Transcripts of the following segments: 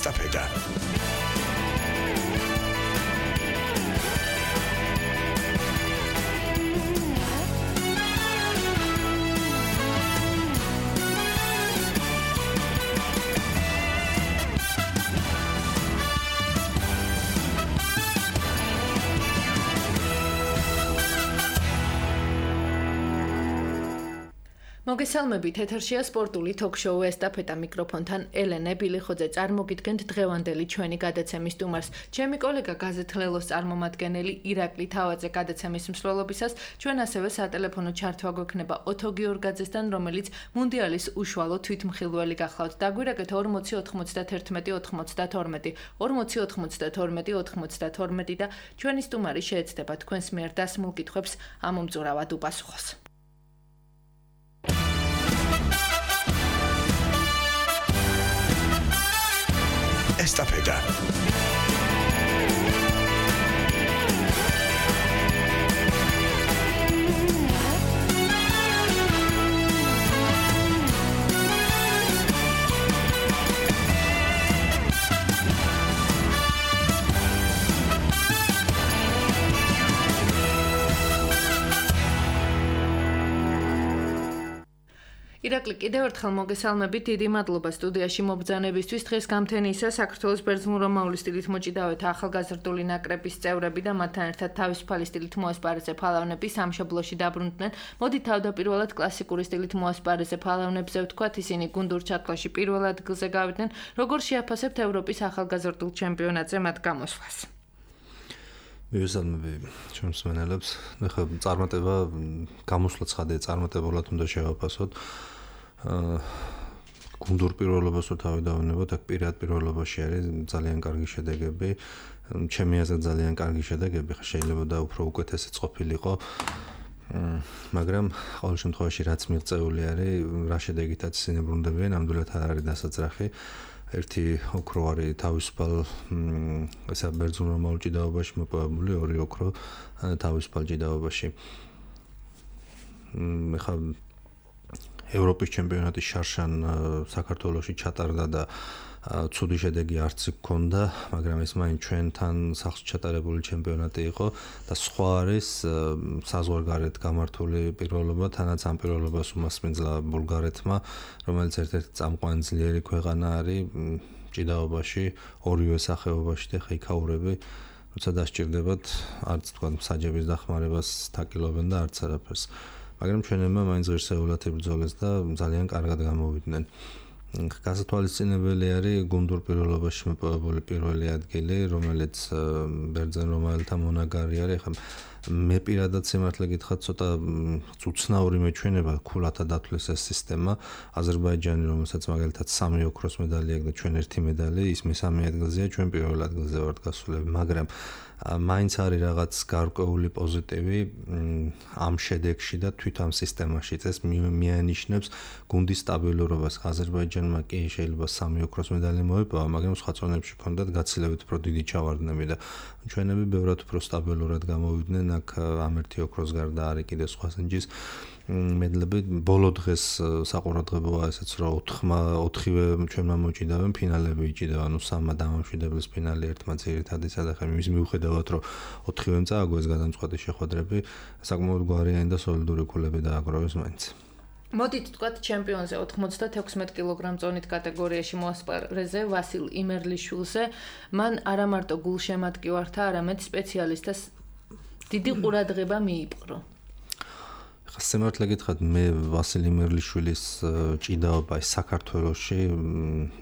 Estafeta. მოგესალმებით, ეთერშია სპორტული თოქ-შოუ ესტაფეტა მიკროფონთან ელენე ბილიხოძე. წარმოგიდგენთ დღევანდელი ჩვენი გადაცემის სტუმარს. ჩემი კოლეგა გაზეთ ლელოს წარმომადგენელი ირაკლი თავაძე გადაცემის მსვლელობისას ჩვენ ასევე სატელეფონო ჩართვა გვექნება ოთო გიორგაძესთან, რომელიც მუნდიალის უშუალო თვითმხილველი გახლავთ. დაგვირეკეთ 40 91 92 40 92 92 და ჩვენი სტუმარი შეეცდება თქვენს მიერ დასმულ კითხვებს ამომწურავად უპასუხოს. Estafeta. ირაკლი, კიდევ ერთხელ მოგესალმებით, დიდი მადლობა სტუდიაში მობრძანებისთვის. დღეს გამთენიისა საქართველოს ბერძნულ-რომაული სტილით მოჭიდავეთა ახალგაზრდული ნაკრების წევრები და მათთან ერთად თავისუფალი სტილით მოასპარეზე ფალავნები სამშობლოში დაბრუნდნენ. მოდით თავდაპირველად კლასიკური სტილით მოასპარეზე ფალავნებზე ვთქვათ, ისინი გუნდურ ჩათვლაში პირველ ადგილზე გავიდნენ. როგორ შეაფასებთ ევროპის ახალგაზრდულ ჩემპიონატზე მათ გამოსვლას? მივესალმები ჩვენს მსმენელებს. ახლა წარმატება გამოსვლა ცხადია, წარმატებულად უნდა შევაფასოთ. გუნდურ პირველობას რო თავი დავინებოთ, აქ პირად პირველობაში არის ძალიან კარგი შედეგები. ჩემი აზრით ძალიან კარგი შედეგები, ხა შეიძლება და უფრო უკეთესიც ყოფილიყო. მაგრამ ყოველ შემთხვევაში რაც მიღწეული არის, რა შედეგითაც ისინი ბრუნდებიან, ნამდვილად არ არის დასაძრახი. ერთი ოქრო არის თავისუფალ ესა ბერძნულ-რომაულ ჭიდაობაში მოპოვებული, ორი ოქრო თავისუფალ ჭიდაობაში. ხა ევროპის ჩემპიონატის შარშან საქართველოში ჩატარდა და ცუდი შედეგი არც ჰქონდა, მაგრამ ეს მაინც ჩვენთან სახლში ჩატარებული ჩემპიონატი იყო და სხვა არის საზღვარგარეთ გამართული პირველობა, თანაც ამ პირველობას უმასპინძლა ბულგარეთმა, რომელიც ერთ-ერთი წამყვანი ძლიერი ქვეყანა არის ჭიდაობაში, ორივე სახეობაში და ხეიქაურები, როცა დასჭირდებათ, არც თქვა საჯების დახმარებას თაკილობენ და არც არაფერს. მაგრამ ჩვენებმა მაინც ღირსეულად იბრძოლეს და ძალიან კარგად გამოვიდნენ. გასათვალისწინებელი არის გუნდურ პირველობაში მოპოვებული პირველი ადგილი, რომელიც ბერძენ-რომაელთა მონაგარი არის. ხა მე პირადად სიმართლე გითხრათ, ცოტა უცნაური მეჩვენება ქულათა დათვლის ეს სისტემა. აზერბაიჯანი, რომელსაც მაგალითად 3 ოქროს მედალი აქვს და ჩვენ 1 მედალი, ის მესამე ადგილზეა, ჩვენ პირველ ადგილზე ვართ გასულები, მაგრამ მაინც არის რაღაც გარკვეული პოზიტივი ამ შედეგში და თვით ამ სისტემაში. ეს მიანიშნებს გუნდის სტაბილურობას. აზერბაიჯანმა კი შეიძლება 3 ოქროს მედალი მოიპოვა, მაგრამ სხვა წონებში ჰქონდათ გაცილებით უფრო დიდი ჩავარდნები და ჩვენები ბევრად უფრო სტაბილურად გამოვიდნენ. აქ ამ 1 ოქროს გარდა არის კიდე სხვა სინჯის მედლები. ბოლო დღეს საყურადღებოა ესეც, რომ 4-ვე ჩვენმა მოჭიდავენ, ფინალები იჭიდა, ანუ 3 დამამშვიდებლის ფინალი ერთმა ძირითადისა და ხა მის მიუხედავად, რომ 4-ვემ წააგო ეს გადამწყვეტი შეხვედრები, საკმაოდ გვარიანი და სოლიდური ქულები დააგროვეს მაინც. მოდით თქვათ ჩემპიონზე 96 კილოგრამ წონით კატეგორიაში მოასპარეზე ვასილ იმერლიშვილზე, მან არა მარტო გულშემატკივართა, არამედ სპეციალისტას დიდი ყურადღება მიიპყრო. ხა სიმართლე გითხრათ, მე ვასილ იმერლიშვილის ჭიდაობა საქართველოში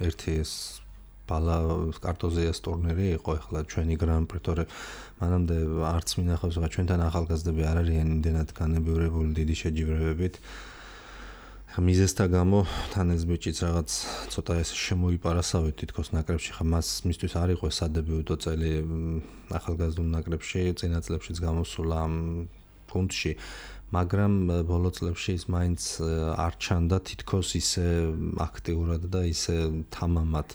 ერთი ეს ბალა კარტოზიას ტურნირი იყო, ახლა ჩვენი გრან-პრი, თორე მანამდე არც მინახავს, რა ჩვენთან ახალგაზრდები არ არიან იმდენად განებივრებული დიდი შეჯიბრებებით. მიზესთა გამო თან ეს ბიჭიც რაღაც ცოტა ეს შემოიპარასავით თითქოს ნაკრებში, ხა მისთვის არ იყო სადებიუტო წელი ახალგაზრდულ ნაკრებში, წინა წლებშიც გამოსულა ამ ფუნტში, მაგრამ ბოლო წლებში ის მაინც არ ჩანდა თითქოს ისე აქტიურად და ისე თამამად.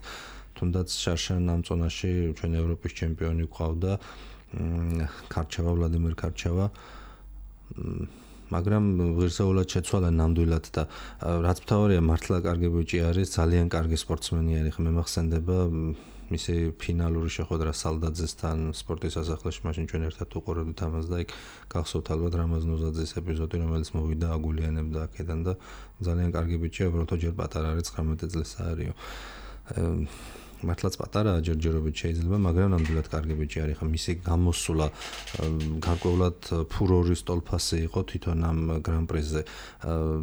თუნდაც შარშან ამ წონაში ჩვენ ევროპის ჩემპიონი გვყავდა, ქარჩევა, ვლადიმერ ქარჩევა. მაგრამ ღირსეულად შეცვალა ნამდვილად და რაც მთავარია მართლა კარგი ბიჭი არის, ძალიან კარგი სპორტსმენი არის. მე მახსენდება მისი ფინალური შეხვედრა სალდაძესთან სპორტის სასახლეში, მაშინ ჩვენ ერთად უყურებდით ამას და იქ გახსოვთ ალბათ რამაზ ნუზაძის ეპიზოდი, რომელიც მოვიდა აგულიანებდა აქედან და ძალიან კარგი ბიჭია, უბრალოდ ჯერ პატარა არის, 19 წლის არისო. მართლაც პატარაა ჯერჯერობით შეიძლება, მაგრამ ნამდვილად კარგი ბიჭი არის. ხა მისი გამოსვლა გარკვეულად ფურორის ტოლფასი იყო თვითონ ამ გრან-პრიზე,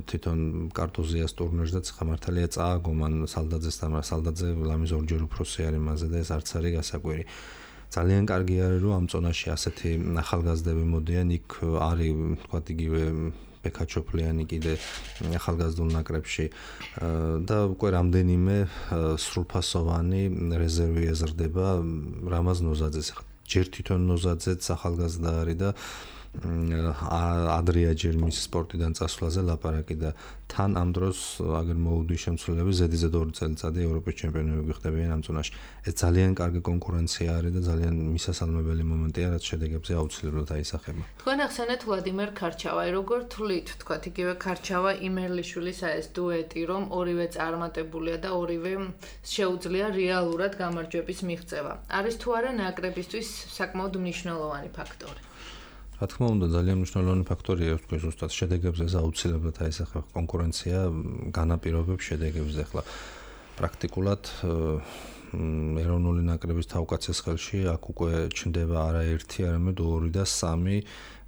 თვითონ კარტოზიას ტურნირზე, ხა მართალია წააგო მან სალდაძესთან, მაგრამ სალდაძე ლამის ორჯერ უფროსი არის მასზე და ეს არც არის გასაკვირი. ძალიან კარგი არის, რომ ამ წონაში ასეთი ახალგაზრდები მოდიან, იქ არის თქვათ იგივე ბეკაჩოფლიანი კიდე ახალგაზრდულ ნაკრებში და უკვე რამდენიმე სრულფასოვანი რეზერვი ეზრდება რამაზ ნოზაძეს. ჯერ თვითონ ნოზაძეც ახალგაზრდა არის და ადრია ჯერ მის სპორტიდან წასვლაზე ლაპარაკი და თან ამ დროს აგერ მოუდის შემცვლელები ზედიზედ 2 წელიწადი ევროპის ჩემპიონები გიხდებიან ამ წონაში. ეს ძალიან კარგი კონკურენცია არის და ძალიან მისასალმებელი მომენტია, რაც შედეგებზე აუცილებლად აისახება. თქვენ ახსენეთ ვლადიმერ ქარჩავაი, როგორ თვლით, თქვათ იგივე ქარჩავა იმერლიშვილის ეს დუეტი, რომ ორივე წარმატებულია და ორივე შეუძლია რეალურად გამარჯვების მიღწევა. არის თუ არა ნაკრებისთვის საკმაოდ მნიშვნელოვანი ფაქტორი? რა თქმა უნდა, ძალიან მნიშვნელოვანი ფაქტორია, თქვენ ზუსტად შედეგებზე აუცილებლად აისახება კონკურენცია, განაპირობებს შედეგებს. ახლა პრაქტიკულად ეროვნული ნაკრების თავკაცის ხელში აქ უკვე ჩნდება არა ერთი, არამედ 2 და 3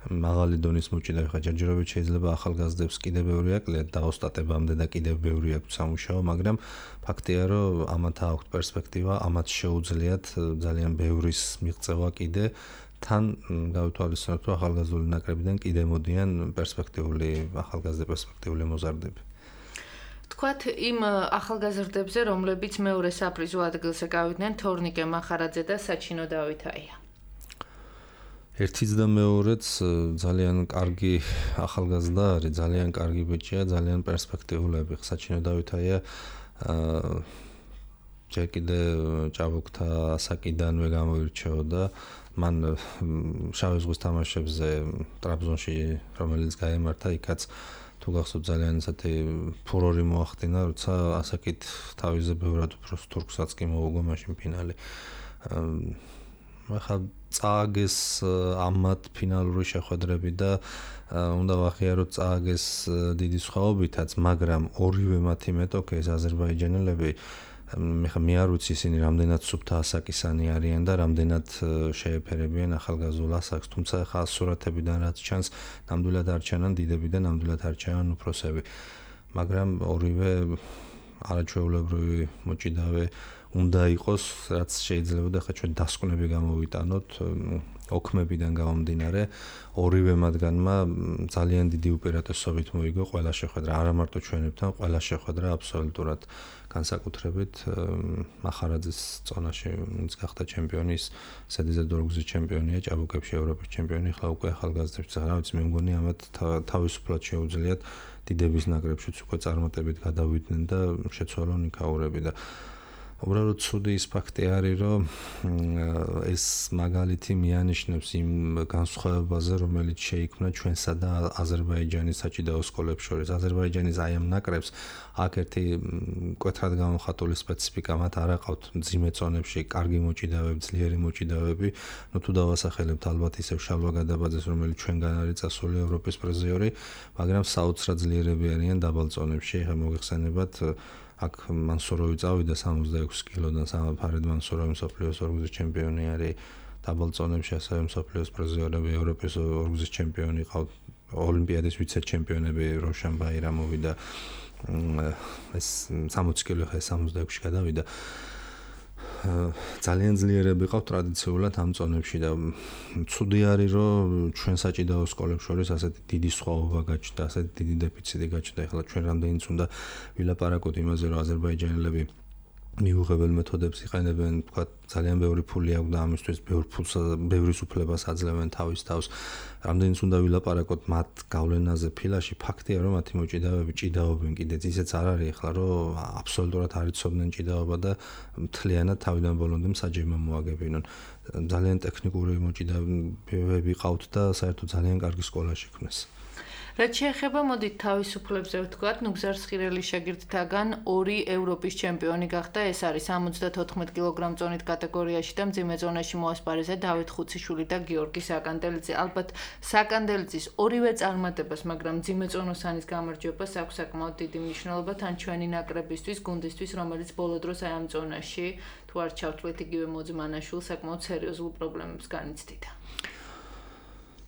მაღალი დონის მოჭიდავი. ხა ჯერჯერობით შეიძლება ახალგაზრდებს კიდევ ბევრი აკლიათ და ოსტატებამდე და კიდევ ბევრი აქვს სამუშაო, მაგრამ ფაქტია, რომ ამათ აქვთ პერსპექტივა, ამათ შეუძლიათ ძალიან ბევრის მიღწევა კიდე. თან გავითვალისწინოთ, რომ ახალგაზრდული ნაკრებიდან კიდე მოდიან ახალგაზრდა პერსპექტიული მოზარდები. თქვათ იმ ახალგაზრდებზე, რომლებიც მეორე საპრიზო ადგილზე გავიდნენ, თორნიკე მახარაძე და საჩინო დავითაია. ერთიც და მეორეც ძალიან კარგი ახალგაზრდა არის, ძალიან კარგი ბიჭია, ძალიან პერსპექტიულები. საჩინო დავითაია ჯერ კიდე ჭაბუკთა ასაკიდანვე გამოირჩეოდა. მან შავი ზღვის თამაშებზე ტრაბზონში, რომელიც გაემართა, იქაც თუ გახსოვთ ძალიან ისეთი ფურორი მოახდინა, როცა ასაკით თავიზე ბევრად უფრო თურქსაც კი მოუგო მაშინ ფინალი. ახლა წააგეს ამათ ფინალური შეხვედრები და უნდა ვახიაროთ წააგეს დიდი სხვაობითაც, მაგრამ ორივე მათი მეტოქე ეს აზერბაიჯანელები მე არ ვიცი ისინი რამდენად სუფთა ასაკისანი არიან და რამდენად შეეფერებიან ახალგაზრდულ ასაკს, თუმცა ხა სურათებიდან რაც ჩანს, ნამდვილად არ ჩანან დიდები და ნამდვილად არ ჩანან უფროსები. მაგრამ ორივე არაჩვეულებრივი მოჭიდავე უნდა იყოს, რაც შეიძლება ხა ჩვენ დასკვნები გამოვიტანოთ ოქმებიდან გამომდინარე, ორივე მათგანმა ძალიან დიდი უპირატესობით მოიგო ყველა შეხვედრა, არა მარტო ჩვენებთან, ყველა შეხვედრა აბსოლუტურად განსაკუთრებით მახარაძის წონაში, ვინც გახდა ჩემპიონი, ზედიზედ 2 გზის ჩემპიონია, ჭაბუკებში ევროპის ჩემპიონი, ხლა უკვე ახალგაზრდებს, რა ვიცი, მე მგონი ამათ თავისუფლად შეუძლიათ დიდების ნაკრებშიც უკვე წარმატებით გადავიდნენ და შეცვალონ იქაურები და უბრალოდ ცუდი ის ფაქტი არის, რომ ეს მაგალითი მიანიშნებს იმ განსხვავებაზე, რომელიც შეიქმნა ჩვენსა და აზერბაიჯანის საჭიდაო სკოლებს შორის. აზერბაიჯანის აი ამ ნაკრებს აქ ერთი მკვეთრად გამოხატული სპეციფიკა მათ არ აყავთ მძიმე წონებში კარგი მოჭიდავეები, ძლიერი მოჭიდავეები. ნუ თუ დავასახელებთ ალბათ ისევ შალვა გადაბაძეს, რომელიც ჩვენგან არის წასული ევროპის პრიზიორი, მაგრამ საოცრად ძლიერები არიან დაბალ წონებში. ხა მოგეხსენებათ აქ მანსუროვი წავიდა 66 კილოდან, ფარედ მანსუროვი მსოფლიოს 2 გზის ჩემპიონი არის დაბალ წონებში, ასევე მსოფლიოს პრიზიორები, ევროპის 2 გზის ჩემპიონი ყავთ, ოლიმპიადის ვიცე-ჩემპიონები როშან ბაირამოვი და ეს 60 კილო ხა 66-ში გადავიდა. ძალიან ძლიერები ყავთ ტრადიციულად ამ წონებში და ცუდი არის, რომ ჩვენ საჭიდაო სკოლებს შორის ასეთი დიდი სხვაობა გაჩნდა, ასეთი დიდი დეფიციტი გაჩნდა. ახლა ჩვენ რამდენიც უნდა ვილაპარაკოთ იმაზე, რომ აზერბაიჯანელები მიუღებელ მეთოდებს იყენებენ, თქვა ძალიან ბევრი ფული აქვს და ამისთვის ბევრის უფლებას აძლევენ თავის თავს. რამდენიც უნდა ვილაპარაკოთ მათ გავლენაზე ფილაში, ფაქტია, რომ მათი მოჭიდავეები ჭიდაობენ კიდეც, ისეც არ არის ახლა, რომ აბსოლუტურად არ იცოდნენ ჭიდაობა და მთლიანად თავიდან ბოლომდე მსაჯებმა მოაგებინონ. ძალიან ტექნიკური მოჭიდავეები ყავთ და საერთოდ ძალიან კარგი სკოლა შექმნეს. რაც შეეხება მოდით თავისუფლებზე ვთქვათ, ნუგზარ სხირელის შეგირდთაგან 2 ევროპის ჩემპიონი გახდა. ეს არის 74 კილოგრამ წონით კატეგორიაში და მძიმე ზონაში მოასპარეზე დავით ხუციშვილი და გიორგი საკანდელიძე. ალბათ საკანდელიძის ორივე წარმატებას, მაგრამ მძიმე ზონოსანის გამარჯვებას აქვს საკმაოდ დიდი მნიშვნელობა თან ჩვენი ნაკრებისთვის, გუნდისთვის, რომელიც ბოლო დროს აი ამ ზონაში თუ არ ჩავთვლით იგივე მოძმანაშვილს საკმაოდ სერიოზულ პრობლემებს განიცდიდა.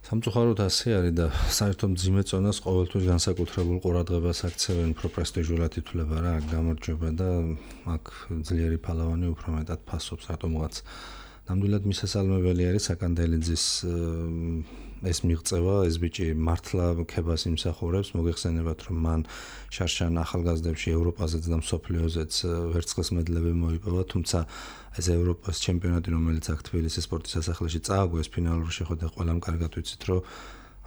სამწუხაროდ ასე არის და საერთოდ მძიმე ზონას ყოველთვის განსაკუთრებულ ყურადღებას აქცევენ უფრო პრესტიჟულად ითვლება რა გამარჯვება და აქ ძლიერი ფალავანი უფრო მეტად ფასობს რატომღაც. ნამდვილად მისასალმებელი არის საკანდელიძის ეს მიღწევა, ეს ბიჭი მართლა ქებას იმსახურებს, მოგეხსენებათ რომ მან შარშან ახალგაზრდებში ევროპაზეც და მსოფლიოზეც ვერცხლის მედლები მოიპოვა, თუმცა ეს ევროპის ჩემპიონატი, რომელიც აქ თბილისის სპორტის სასახლეში წააგო, ეს ფინალური შეხვედრა ყველამ კარგად ვიცით, რომ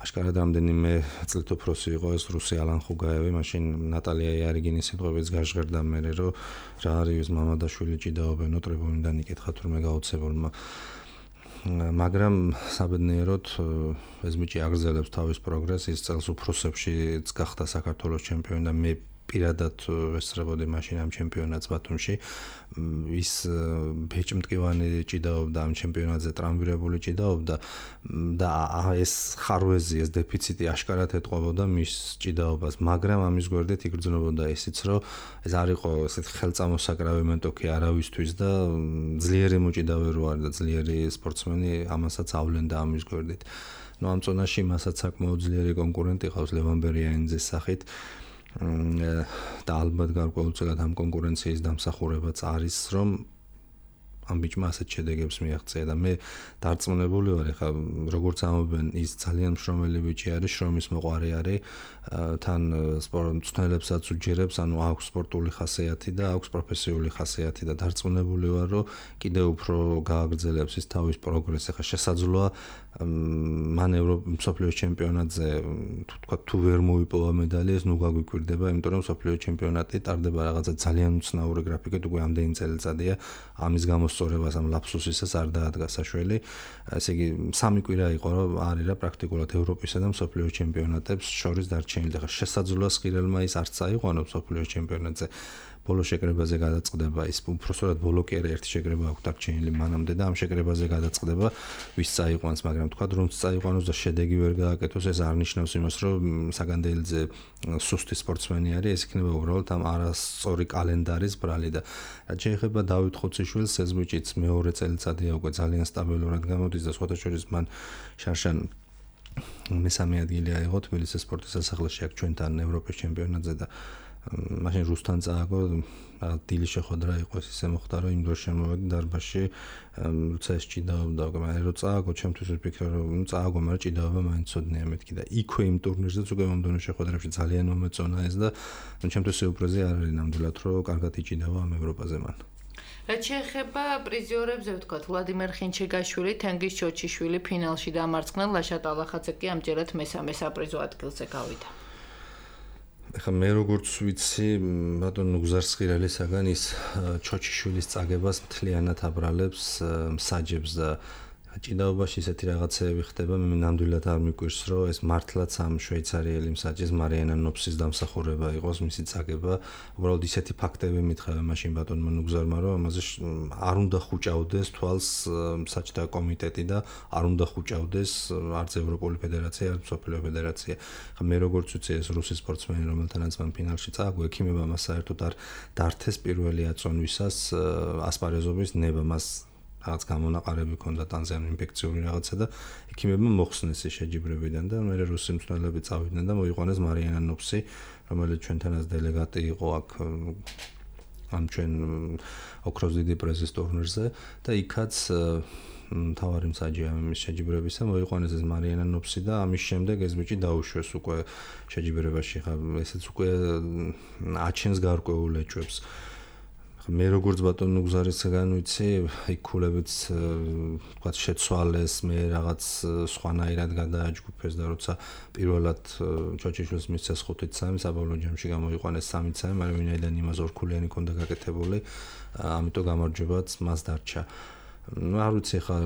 აშკარად რამდენიმე წლით უფროსი იყო ეს რუსი ალან ხუგაევი, მაშინ ნატალია იარიგინის სიტყვებიც გაჟღერდა მერე, რომ რა არის მამადაშვილი ჭიდაობენო ტრიბუნიდან იკითხა თურმე გაოცებულმა. მაგრამ საბედნიეროდ ეს ბიჭი აგრძელებს თავის პროგრესს, ის წელს უფროსებშიც გახდა საქართველოს ჩემპიონი და მე პირადად ვესწრებოდი მაშინ ამ ჩემპიონატს ბათუმში. ის ბეჭმტკივანი ჭიდაობდა ამ ჩემპიონატზე, ტრამვირებული ჭიდაობდა და ეს ხარვეზი, ეს დეფიციტი აშკარად ეტყობოდა მის ჭიდაობას, მაგრამ ამის გვერდით იგრძნობოდა ისიც, რომ ეს არ იყო ესეთი ხელწამოსაკრავი მეტოქი არავისთვის და ძლიერი მოჭიდავე რო არის და ძლიერი სპორტსმენი, ამასაც ავლენდა ამის გვერდით. ნუ ამ ზონაში მასაც საკმაოდ ძლიერი კონკურენტი ყავს ლევან ბერიანიძის სახით. და ალბათ გარკვეულწილად ამ კონკურენციის დამსახურებაც არის, რომ ამ ბიჭმა ასეთ შედეგებს მიაღწია და მე დარწმუნებული ვარ, ეხლა როგორც ამობენ, ის ძალიან მშრომელი ბიჭი არის, შრომის მოყვარე არის, თან სპორტსმენებსაც უჯერებს, ანუ აქვს სპორტული ხასიათი და აქვს პროფესიული ხასიათი და დარწმუნებული ვარ, რომ კიდევ უფრო გააგრძელებს ის თავის პროგრესს. ეხლა შესაძლოა მან მსოფლიოს ჩემპიონატზე თუ ვერ მოიპოვა медали, ეს ნუ გაგვიკვირდება, იმიტომ რომ მსოფლიოს ჩემპიონატი ტარდება რაღაცა ძალიან უცნაური გრაფიკით, უკვე ამდენი წელიწადია. ამის გამოსწორებას ამ ლაფსუსისას არ დაადგა საშველი. ესე იგი, 3 კვირა იყო, რომ არის რა პრაქტიკულად ევროპისა და მსოფლიოს ჩემპიონატებს შორის დარჩენილი. ეხლა შესაძლოა სხირელმა ის არც აიყვანოს მსოფლიოს ჩემპიონატზე. ბოლო შეკრებაზე გადაწყდება ის უბრალოდ ბოლო კი არა ერთი შეკრება აქვს დარჩენილი მანამდე და ამ შეკრებაზე გადაწყდება ვის წაიყვანს, მაგრამ თქვა რომ წაიყვანოს და შედეგი ვერ გააკეთოს, ეს არ ნიშნავს იმას, რომ საკანდელიძე სუსტი სპორტსმენი არის, ეს იქნება უბრალოდ ამ არასწორი კალენდარის ბრალი და რაც შეეხება დავით ხუციშვილს, ეს ბიჭიც მეორე წელიწადია უკვე ძალიან სტაბილურად გამოდის და სხვათა შორის მან შარშან მესამე ადგილი აიღო თბილისის სპორტის სასახლეში აქ ჩვენთან ევროპის ჩემპიონატზე და მაშინ რუსთან წააგო, დილის შეხვედრა იყო, ისე მოხდა, რომ იმ დროს შემოვედი დარბაზში, როცა ეს ჭიდაობდა, მაგრამ რო წააგო, ჩემთვის ვფიქრე, რომ წააგო, მაგრამ ჭიდაობა მაინც ცოდნია მეთქი და იქვე იმ ტურნირზეც უკვე მომდევნო შეხვედრებში ძალიან მომეწონა ეს და ჩემთვის სიურპრიზი არ არის ნამდვილად, რომ კარგად იჭიდავა ამ ევროპაზე მან. რაც შეეხება პრიზიორებზე ვთქვათ, ვლადიმერ ხინჩეგაშვილი, თენგიზ ჩოჩიშვილი ფინალში დამარცხდნენ, ლაშა ტალახაძე კი ამჯერად მესამე საპრიზო ადგილზე გავიდა. ეხლა მე როგორც ვიცი, ბატონ ნუგზარ სხირელისაგან ის ჩოჩიშვილის წაგებას მთლიანად აბრალებს, მსაჯებს და ჭიდაობაში ისეთი რაღაცეები ხდება, მე ნამდვილად არ მიკვირს, რომ ეს მართლაც ამ შვეიცარიელი მსაჯის მარიანა ნოფსის დამსახურება იყოს მისი წაგება. უბრალოდ ისეთი ფაქტები მითხრა მაშინ ბატონმა ნუგზარმა, რომ ამაზე არ უნდა ხუჭავდეს თვალს მსაჯთა კომიტეტი და არ უნდა ხუჭავდეს არც ევროპული ფედერაცია, არც მსოფლიო ფედერაცია. ხა მე როგორც ვიცი, ეს რუსი სპორტსმენი, რომელთანაც მან ფინალში წააგო, ექიმებმა მას საერთოდ არ დართეს პირველი აწონვისას ასპარეზობის ნება, მას რაღაც გამონაყარები ჰქონდა ტანზიან ინფექციური რაღაცა და ექიმებმა მოხსნეს ის შეჯიბრებიდან და მე რუსი მსმენელები წავიდნენ და მოიყვანეს მარიანა ნოფსი, რომელიც ჩვენთანაც დელეგატი იყო აქ ამ ჩვენ ოქროს დიდი პრეზის ტურნირზე და იქაც თავარი მსაჯია მის შეჯიბრებისა, მოიყვანეს ეს მარიანა ნოფსი და ამის შემდეგ ეს ბიჭი დაუშვეს უკვე შეჯიბრებაში, ხა ესეც უკვე აჩენს გარკვეულ ეჭვებს. მე როგორც ბატონ ნუგზარისგან ვიცი, იქ ქულებიც თქვა შეცვალეს, მე რაღაც სხვანაირად გადააჯგუფეს და როცა პირველად ჩოჩიშვილს მისცეს 5-3, საბოლოო ჯამში გამოიყვანეს 3-3, მაგრამ ვინაიდან იმას ორქულიანი ქონდა გაკეთებული, ამიტომ გამარჯვებაც მას დარჩა. არ ვიცი ხა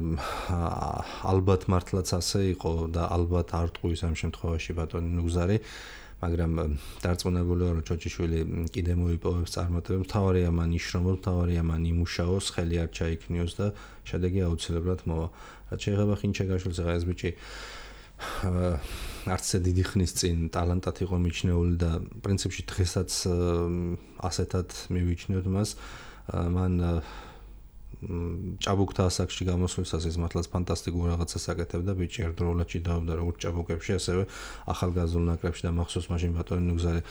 ალბათ მართლაც ასე იყო და ალბათ არ ტყუის ამ შემთხვევაში ბატონი ნუგზარი, მაგრამ დარწმუნებული ვარ, რომ ჩოჩიშვილი კიდე მოიპოვებს წარმატებებს, თავარია მან იშრომოს, თავარია მან იმუშაოს, ხელი არ ჩაიქნიოს და შედეგი აუცილებლად მოვა. რაც შეეხება ხინჩეგაშვილს, ხა ეს ბიჭი არც დიდი ხნის წინ ტალანტად იყო მიჩნეული და პრინციპში დღესაც ასეთად მივიჩნევთ მას. მან ჭაბუკთა ასაკში გამოსვლისას ის მართლაც ფანტასტიკურ რაღაცას აკეთებდა, ბიჭი ერთდროულად ჭიდაობდა როგორც ჭაბუკებში, ასევე ახალგაზრდულ ნაკრებში და მახსოვს მაშინ ბატონი ნუგზარი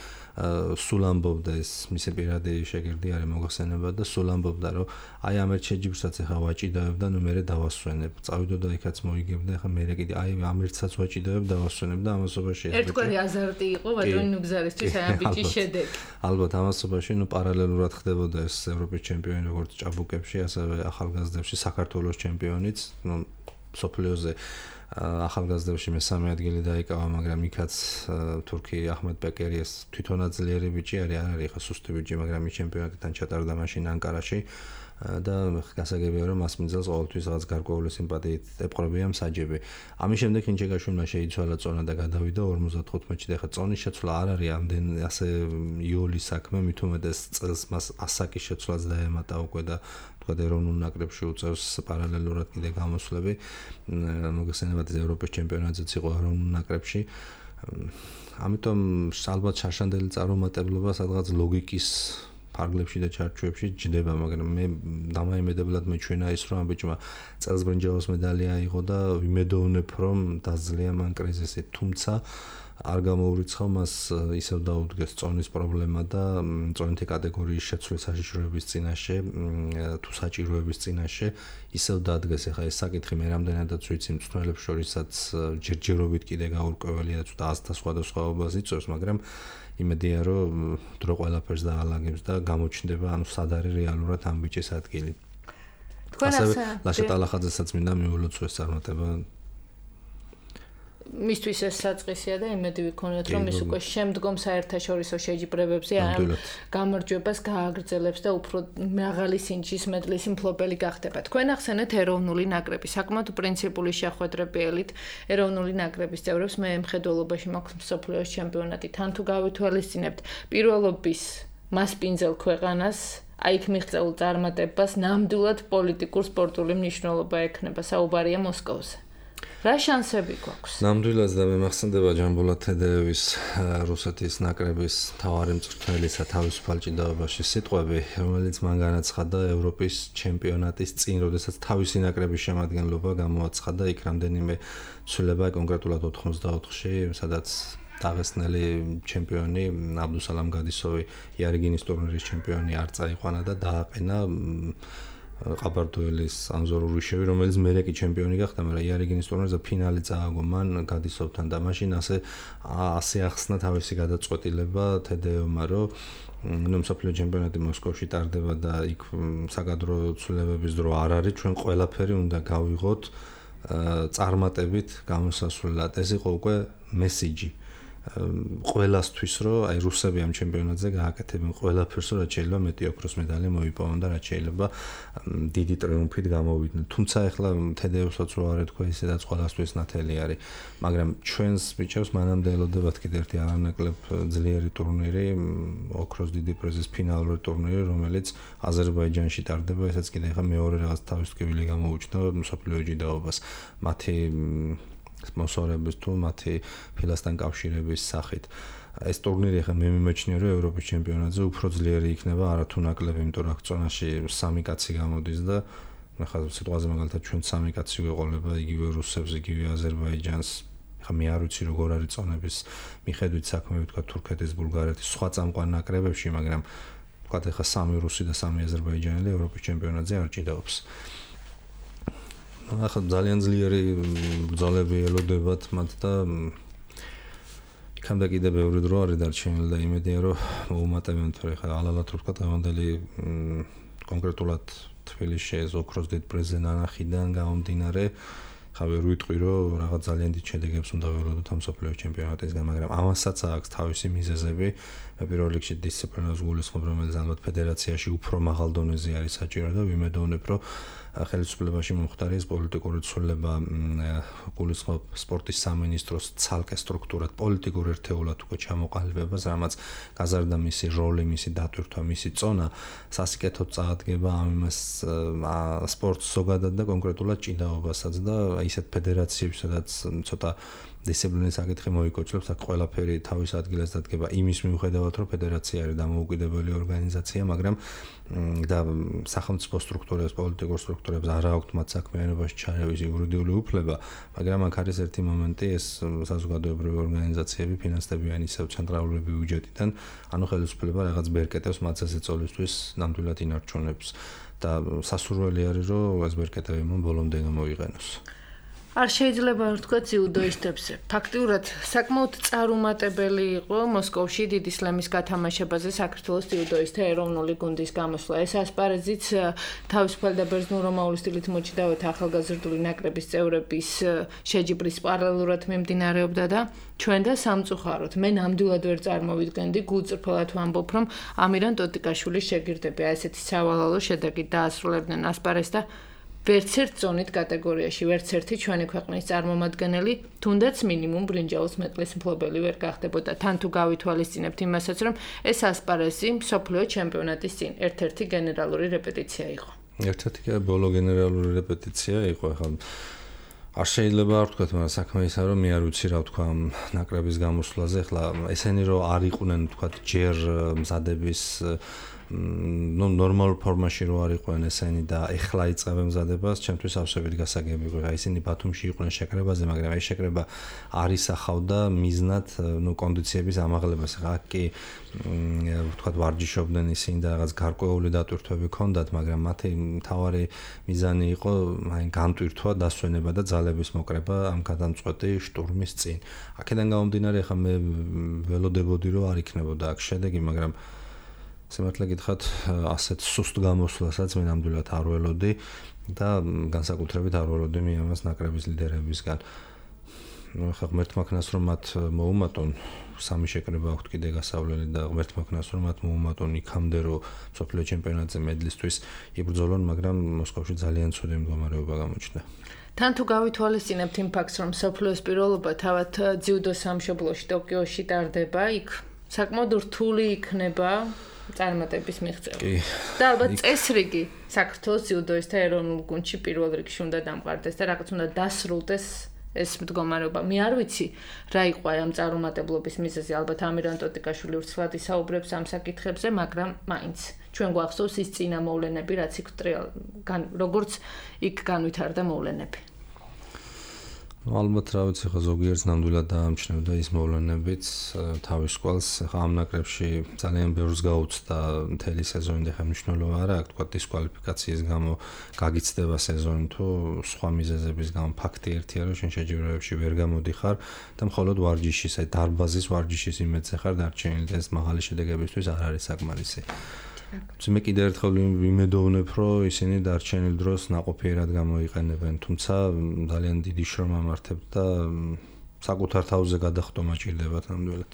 სულ ამბობდა, ეს მისი პირადი შეგირდი არის მოგახსენება და სულ ამბობდა, რომ აი ამ ერთ შეჯიბრსაც ახლა ვაჭიდავებ და ნუ მერე დავასვენებ. წავიდოდა იქაც მოიგებდა, ახლა მერე კიდე აი ამ ერთსაც ვაჭიდავებ, დავასვენებ და ამასობაში ერთგვარი აზარტი იყო ბატონი ნუგზარისთვის აი ამ ბიჭის შედეგი. ალბათ ამასობაში ნუ პარალელურად ხდებოდა ეს ევროპის ჩემპიონი როგორც ჭაბუკებში, ასევე ახალგაზრდებში საქართველოს ჩემპიონიც, ნუ სოფლიოზე ახალგაზრდებში მესამე ადგილი დაიკავა, მაგრამ იქაც თურქი აჰმედ ბეკერი ეს თვითონაც ძლიერი ბიჭი არის, არ არის ხა სუსტი ბიჭი, მაგრამ ის ჩემპიონატიდან ჩატარდა მაშინ ანკარაში და გასაგებია რომ მას მიზელს ყოველთვის რაღაც გარკვეული სიმპათიით ეპყრობია მსაჯები. ამის შემდეგ ხინჩეგაშვილმა შეიცვალა წონა და გადავიდა 55-ში და ხა წონის შეცვლა არ არის ამდენ ასე იოლის საქმე, მით უმეტეს წელს მას ასაკის შეცვლაც დაემატა უკვე და თქვა ეროვნულ ნაკრებში უწევს პარალელურად კიდე გამოსვლები. მოგესალმებით ევროპის ჩემპიონატზეც იყო ეროვნულ ნაკრებში. ამიტომ ალბათ შარშანდელი წარუმატებლობა სადღაც ლოგიკის ფარგლებში და ჩარჩოებში ჯდება, მაგრამ მე დამაიმედებლად მეჩვენა ის, რომ ამ ბიჭმა წელს ბრინჯაოს მედალი აიღო და ვიმედოვნებ, რომ დაძლია მან კრიზისი, თუმცა არ გამოურიცხავ მას ისევ დაუდგეს წონის პრობლემა და წონითი კატეგორიის შეცვლის საშიშროების წინაშე, თუ საჭიროების წინაშე ისევ დადგეს. ახლა ეს საკითხი მე რამდენადაც ვიცი მწვრთნელებს შორისაც ჯერჯერობით კიდე გაურკვეველია და აზრთა სხვადასხვაობას იწვევს, მაგრამ იმედია რომ დრო ყველაფერს დაალაგებს და გამოჩნდება ანუ სად არის რეალურად ამ ბიჭის ადგილი. თქვენ ასე ლაშა ტალახაძესაც მინდა მიულოცო ეს წარმატება. მისთვის ეს საწყისია და იმედი ვიქონიათ რომ ის უკვე შემდგომ საერთაშორისო შეჯიბრებებზე ამ გამარჯვებას გააგრძელებს და უფრო მაღალი სინჯის მედლის მფლობელი გახდება. თქვენ ახსენეთ ეროვნული ნაკრები, საკმაოდ პრინციპული შეხვედრებიელით ეროვნული ნაკრების წევრებს მე მხედველობაში მაქვს მსოფლიოს ჩემპიონატი. თან თუ გავითვალისწინებთ პირველობის მასპინძელ ქვეყანას, აი იქ მიღწეულ წარმატებას ნამდვილად პოლიტიკურ სპორტული მნიშვნელობა ექნება, საუბარია მოსკოვზე. რა შანსები გვაქვს? ნამდვილად და მე მახსენდება ჯამბულატ თედეევის რუსეთის ნაკრების მთავარი მწვრთნელისა თავისუფალ ჭიდაობაში სიტყვები, რომელიც მან განაცხადა ევროპის ჩემპიონატის წინ, როდესაც თავისი ნაკრების შემადგენლობა გამოაცხადა, იქ რამდენიმე ცვლილება, კონკრეტულად 84-ში, სადაც დაღესტნელი ჩემპიონი აბდუსალამ გადისოვი იარიგინის ტურნირის ჩემპიონი არ წაიყვანა და დააყენა ყაბარდოელის ანზორ ურიშევი, რომელიც მერე კი ჩემპიონი გახდა, მაგრამ იარიგინის ტურნირზე ფინალი წააგო მან გადისოვთან და მაშინ ასე ახსნა თავისი გადაწყვეტილება თედეევმა, რომ ნუ მსოფლიო ჩემპიონატი მოსკოვში ტარდება და იქ საკადრო ცვლილებების დრო არ არის, ჩვენ ყველაფერი უნდა გავიღოთ წარმატებით გამოსასვლელად. ეს იყო უკვე მესიჯი ყველასთვის, რომ აი რუსები ამ ჩემპიონატზე გააკეთებენ ყველაფერს, რომ რაც შეიძლება მეტი ოქროს მედალი მოიპოვონ და რაც შეიძლება დიდი ტრიუმფით გამოვიდნენ. თუმცა ახლა თედეევსაც რო არ ეთქვა, ისედაც ყველასთვის ნათელი არის, მაგრამ ჩვენს ბიჭებს მანამდე ელოდებათ კიდე ერთი არანაკლებ ძლიერი ტურნირი, ოქროს დიდი პრიზის ფინალური ტურნირი, რომელიც აზერბაიჯანში ტარდება, ესაც კიდე ახლა მეორე რაღაც თავისუფლებელი გამოუჩნდა მსოფლიო ჭიდაობას. მათი სპონსორების თუ მათი ფილასთან კავშირების სახით. ეს ტურნირი ხა მე მიმეჩნია რომ ევროპის ჩემპიონატზე უფრო ძლიერი იქნება არათუ ნაკლები, იმიტომ რომ წონაში 3 კაცი გამოდის და ხა სიტყვაზე მაგალითად ჩვენ 3 კაცი გვეყოლება იგივე რუსებს, იგივე აზერბაიჯანს. ხა მე არ ვიცი როგორ არის წონების მიხედვით საქმე, ვთქვა თურქეთის, ბულგარეთის, სხვა წამყვან ნაკრებებში, მაგრამ ვთქვა ხა 3 რუსი და 3 აზერბაიჯანელი ევროპის ჩემპიონატზე არ ჭიდაობს. ახლა ძალიან ძლიერი ბრძოლები ელოდებათ მათ და იქამდე კიდე ბევრი დრო არის დარჩენილი და იმედია რომ მოუმატებენ, თორე ხა ალალათ რო ვთქვა დღევანდელი კონკრეტულად თბილისში ეს ოქროს დიდ პრიზზე ნანახიდან გამომდინარე, ხა ვერ ვიტყვი რომ რაღაც ძალიან დიდ შედეგებს უნდა ველოდოთ ამ მსოფლიო ჩემპიონატისგან, მაგრამ ამასაც აქვს თავისი მიზეზები. პირველ რიგში დისციპლინას გულისხმობ, რომელიც ალბათ ფედერაციაში უფრო მაღალ დონეზე არის საჭირო და ვიმედოვნებ, რომ ხელისუფლებაში მომხდარი პოლიტიკური ცვლილება გულისხმობ სპორტის სამინისტროს ცალკე სტრუქტურად პოლიტიკურ ერთეულად უკვე ჩამოყალიბებას, რამაც გაზარდა მისი როლი, მისი დატვირთვა, მისი წონა სასიკეთოდ წაადგება ამ იმას სპორტს ზოგადად და კონკრეტულად ჭიდაობასაც და ისეთ ფედერაციებს, სადაც ცოტა დისციპლინის საკითხი მოიკოჩლებს, აქ ყველაფერი თავის ადგილას დადგება იმის მიუხედავად, რომ ფედერაცია არის დამოუკიდებელი ორგანიზაცია, მაგრამ და სახელმწიფო სტრუქტურებს, პოლიტიკურ სტრუქტურებს არ აქვთ მათ საქმიანობაში ჩარევის იურიდიული უფლება, მაგრამ აქ არის ერთი მომენტი, ეს საზოგადოებრივი ორგანიზაციები ფინანსდებიან ისევ ცენტრალური ბიუჯეტიდან, ანუ ხელისუფლება რაღაც ბერკეტებს მათ წესწოლისთვის ნამდვილად ინარჩუნებს და სასურველი არის, რომ ეს ბერკეტები მომ ბოლომდე გამოიყენოს. არ შეიძლება ვთქვა ძიუდოისტებს. ფაქტიურად საკმაოდ წარუმატებელი იყო მოსკოვში დიდი სლემის გათამაშებაზე საქართველოს ძიუდოისტთა ეროვნული გუნდის გამოსვლა. ეს ასპარეზიც თავისუფალი და ბერძნულ-რომაული სტილით მოჭიდავეთა ახალგაზრდული ნაკრების წევრების შეჯიბრის პარალელურად მიმდინარეობდა და ჩვენ და სამწუხაროდ მე ნამდვილად ვერ წარმოვიდგენდი, გულწრფელად ვამბობ, რომ ამირან ტოტიკაშვილის შეგირდები ასეთი სავალალო შედეგით დაასრულებდნენ ასპარეზს და ვერც ერთ ზონით კატეგორიაში, ვერც ერთი ჩვენი ქვეყნის წარმომადგენელი, თუნდაც მინიმუმ ბრინჯაოს მეტყლის მფლობელი ვერ გახდებოდა. თან თუ გავითვალისწინებთ იმასაც, რომ ეს ასპარეზი მსოფლიო ჩემპიონატის წინ ერთ-ერთი გენერალური რეპეტიცია იყო. ერთ-ერთი ბოლო გენერალური რეპეტიცია იყო, ახლა არ შეიძლება არ ვთქვათ, მაგრამ საქმე ისაა, რომ მე არ ვიცი რა ვთქვა ამ ნაკრების გამოსვლაზე, ახლა ესენი რომ არ იყვნენ, ვთქვათ, ჯერ მზადების ნორმალურ ფორმაში რო არ იყვნენ ესენი და ეხლა იწყებენ მზადებას, ჩემთვის ავსებით გასაგები იყო. ისინი ბათუმში იყვნენ შეკრებაზე, მაგრამ ეს შეკრება არ ისახავდა მიზნად, კონდიციების ამაღლებას. ახლა კი ვთქვათ, ვარჯიშობდნენ ისინი და რაღაც გარკვეული დატვირთვები ჰქონდათ, მაგრამ მათი მთავარი მიზანი იყო განტვირთვა, დასვენება და ძალების მოკრება ამ გადამწყვეტი შტურმის წინ. აქედან გამომდინარე, ახლა მე ველოდებოდი, რომ არ იქნებოდა აქ შედეგი, მაგრამ სიმართლე გითხრათ, ასეთ სუსტ გამოსვლასაც მე ნამდვილად არ ველოდი და განსაკუთრებით არ ველოდი მე ამას ნაკრების ლიდერებისგან. ახლა ღმერთმა ქნას რომ მათ მოუმატონ, სამი შეკრება აქვთ კიდე გასავლელი და ღმერთმა ქნას რომ მათ მოუმატონ იქამდე რომ მსოფლიო ჩემპიონატზე მედლისთვის იბრძოლონ, მაგრამ მოსკოვში ძალიან ცუდი მდგომარეობა გამოჩნდა. თან თუ გავითვალისწინებთ იმ ფაქტს, რომ მსოფლიოს პიროვნება თავად ძიუდო სამშობლოში ტოკიოში ტარდება, იქ საკმაოდ რთული იქნება წარმატების მიღწევა. და ალბათ წესრიგი საქართველოს ძიუდოისტთა ეროვნულ გუნდში პირველ რიგში უნდა დამყარდეს და რაღაც უნდა დასრულდეს ეს მდგომარეობა. მე არ ვიცი რა იყო ამ წარუმატებლობის მიზეზი, ალბათ ამირან ტოტიკაშვილი ვრცლად ისაუბრებს ამ საკითხებზე, მაგრამ მაინც ჩვენ გვახსოვს ის წინა მოვლენები, რაც იქ როგორც იქ განვითარდა მოვლენები. ალბათ რა ვიცი, ხა ზოგიერთს ნამდვილად დაამჩნევდა ის მოვლენებიც თავის ყვალს. ხა ამ ნაკრებში ძალიან ბევრს გაუცდა მთელი სეზონი და ხა მნიშვნელობა არა აქვს, თქვა დისკვალიფიკაციის გამო გაგიცდება სეზონი თუ სხვა მიზეზების გამო. ფაქტი ერთია, რომ შენ შეჯიბრებებში ვერ გამოდიხარ და მხოლოდ ვარჯიშის, აი დარბაზის ვარჯიშის იმედზე ხარ დარჩენილი და ეს მაღალი შედეგებისთვის არ არის საკმარისი. მე კიდევ ერთხელ ვიმედოვნებ, რომ ისინი დარჩენილ დროს ნაყოფიერად გამოიყენებენ, თუმცა ძალიან დიდი შრომა მართებთ და საკუთარ თავზე გადახტომა ჭირდებათ ნამდვილად.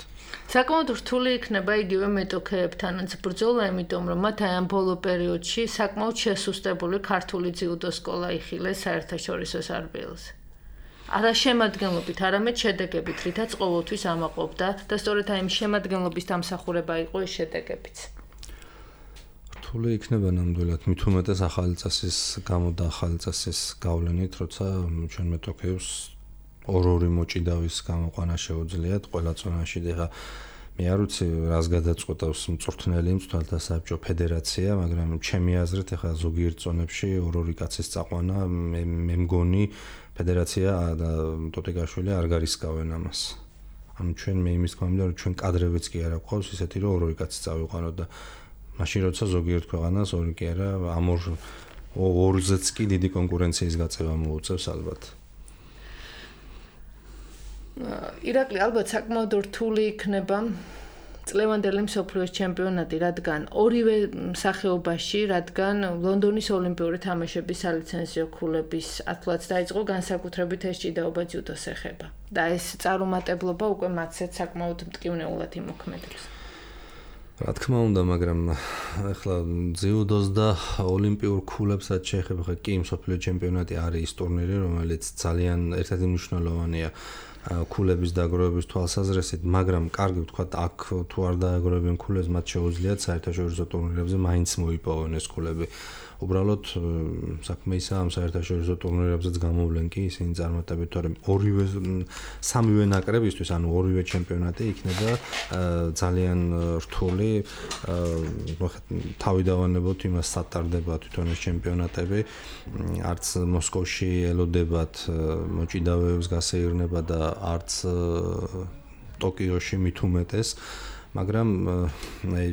საკმაოდ რთული იქნება იგივე მეტოქეებთანაც ბრძოლა, იმიტომ რომ მათ აი ამ ბოლო პერიოდში საკმაოდ შესუსტებული ქართული ძიუდო სკოლა იხილეს საერთაშორისო სარბიელზე. არა შემადგენლობით, არამედ შედეგებით, რითაც ყოველთვის ამაყობდა და სწორედ აი ამ შემადგენლობის დამსახურება იყო ეს შედეგებიც. რთული იქნება ნამდვილად, მით უმეტეს ახალი წესის გამო და ახალი წესის გავლენით, როცა ჩვენ მეტოქეებს ორ-ორი მოჭიდავის გამოყვანა შეუძლიათ ყველა წონაში და მე არ ვიცი რას გადაწყვეტავს მწვრთნელი მწვრთნელთა საბჭო ფედერაცია, მაგრამ ჩემი აზრით ახლა ზოგიერთ წონებში ორ-ორი კაცის წაყვანა მე მგონი ფედერაცია და ტოტიკაშვილი არ გარისკავენ ამას. ანუ ჩვენ მე იმის გამომდინარე, რომ ჩვენ კადრებიც კი არ აქვს ისეთი, რომ ორ-ორი კაცი წავიყვანოთ და მაშინ როცა ზოგიერთ ქვეყანას ორი კი არა, ამ ორზეც კი დიდი კონკურენციის გაწევა მოუწევს ალბათ. ირაკლი, ალბათ საკმაოდ რთული იქნება წლევანდელი მსოფლიოს ჩემპიონატი, რადგან ორივე სახეობაში, რადგან ლონდონის ოლიმპიური თამაშების სალიცენზიო ქულების ათვლაც დაიწყო, განსაკუთრებით ეს ჭიდაობა ძიუდოს ეხება. და ეს წარუმატებლობა უკვე მათცეთ საკმაოდ მტკივნეულად იმოქმედებს. რა თქმა უნდა, მაგრამ ახლა ძიუდოს და ოლიმპიურ ქულებსაც შეეხება, ხა კი მსოფლიო ჩემპიონატი არის ის ტურნირი, რომელიც ძალიან ერთ-ერთი მნიშვნელოვანია ქულების დაგროვების თვალსაზრისით, მაგრამ კარგი ვთქვათ, აქ თუ არ დააგროვებენ ქულებს, მათ შეუძლიათ საერთაშორისო ტურნირებზე მაინც მოიპოვონ ეს ქულები. უბრალოდ საქმე ისაა, ამ საერთაშორისო ტურნირებზეც გამოვლენ კი ისინი წარმატებით, თორემ სამივე ნაკრებისთვის, ანუ ორივე ჩემპიონატი იქნება ძალიან რთული. თავი დავანებოთ იმას სატარდება თვითონ ეს ჩემპიონატები, არც მოსკოვში ელოდებათ მოჭიდავეებს გასეირნება და არც ტოკიოში მით უმეტეს. მაგრამ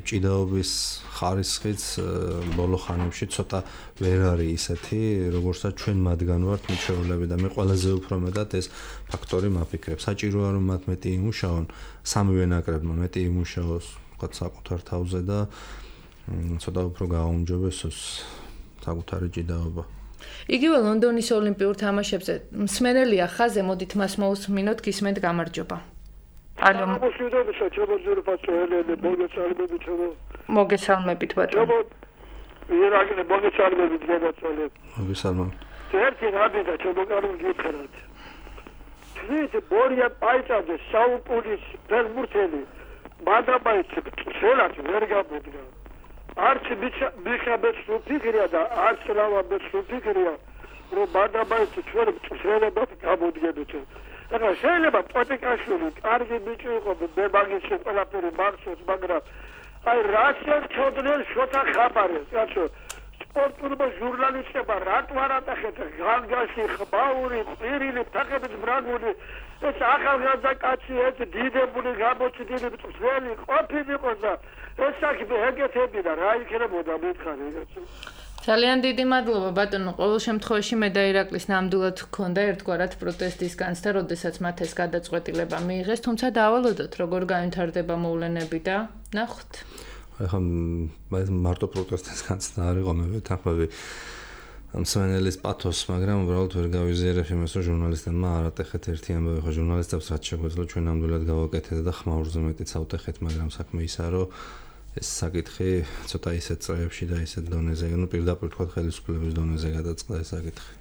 ჭიდაობის ხარისხიც ბოლო ხანებში ცოტა ვერ არის ისეთი, როგორცაც ჩვენ მათგან ვართ მიჩვეულები და მე ყველაზე უფრო მეტად ეს ფაქტორი მაფიქრებ. საჭიროა რომ მათ მეტი იმუშაონ, სამივე ნაკრებმა მეტი იმუშაოს, ვთქვათ, საკუთარ თავზე და ცოტა უფრო გააუმჯობესოს საკუთარი ჭიდაობა. იგივე ლონდონის ოლიმპიურ თამაშებზე მსმენელია ხაზე, მოდით მას მოусმინოთ, გისმენთ, გამარჯობა. ალო მოსიდებისა ჩაბოძური პატროელები მოგეცალმებით ჩაბო მოგესალმებით ბატონო ირაგნე მოგეცალმებით გადაწოლეთ მოგესალმებით ერთი რადი და ჩაბოგარი გიფერად თვით ბორია პაიჭაძე საუკუნის ფერმურთელი მადაბაიცი ხელად ვერ გაბედგა არც მიხაბეთ სუფიქრია და არც ლავაბეთ სუფიქრია რომ მადაბაიცი ჩვენ ხელებად გამოდგებით და შეიძლება პოტიკაშვილი კარგი ბიჭი იყო მე მაგის ყველაფერი მარცოს მაგრამ აი რაცენ ჩოდნელ შოთა ხაბარეს რაცო სპორტულმა ჟურნალისტებმა რატო არ ატახეთ განგაში ხბაური პირილი თახებით ბრაგული ეს ახალგაზრდა კაცი ეს დიდებული გამოჩდილი წველი ყოფილიყო და ეს საქმე ეგეთები და რა იქნებოდა მითხარი რაცო ძალიან დიდი მადლობა ბატონო. ყოველ შემთხვევაში მე და ირაკლის ნამდვილად ჰქონდა ერთგვარად პროტესტის განცდა, როდესაც მათ ეს გადაწყვეტილება მიიღეს, თუმცა დაავალოდოთ, როგორ გაიმთავრდება მოვლენები და ნახოთ. ახლა მარტო პროტესტის განცდა არ იყო, მე ვეთანხმები მსმენელის პათოს, მაგრამ უბრალოდ ვერ გავიზიარებ იმას, რომ ჟურნალისტებმა არ ატეხეთ ერთი ამბავი, ხო ჟურნალისტებს რაც შეგვეძლო ჩვენ ნამდვილად გავაკეთეთ და ხმაურზე მეტიც ავტეხეთ, მაგრამ საქმე ისაა, რომ ეს საკითხი ცოტა ისეთ წრეებში და ისეთ დონეზე, ну პირდაპირ თქვა ხელისუფლების დონეზე გადაწყდა ეს საკითხი.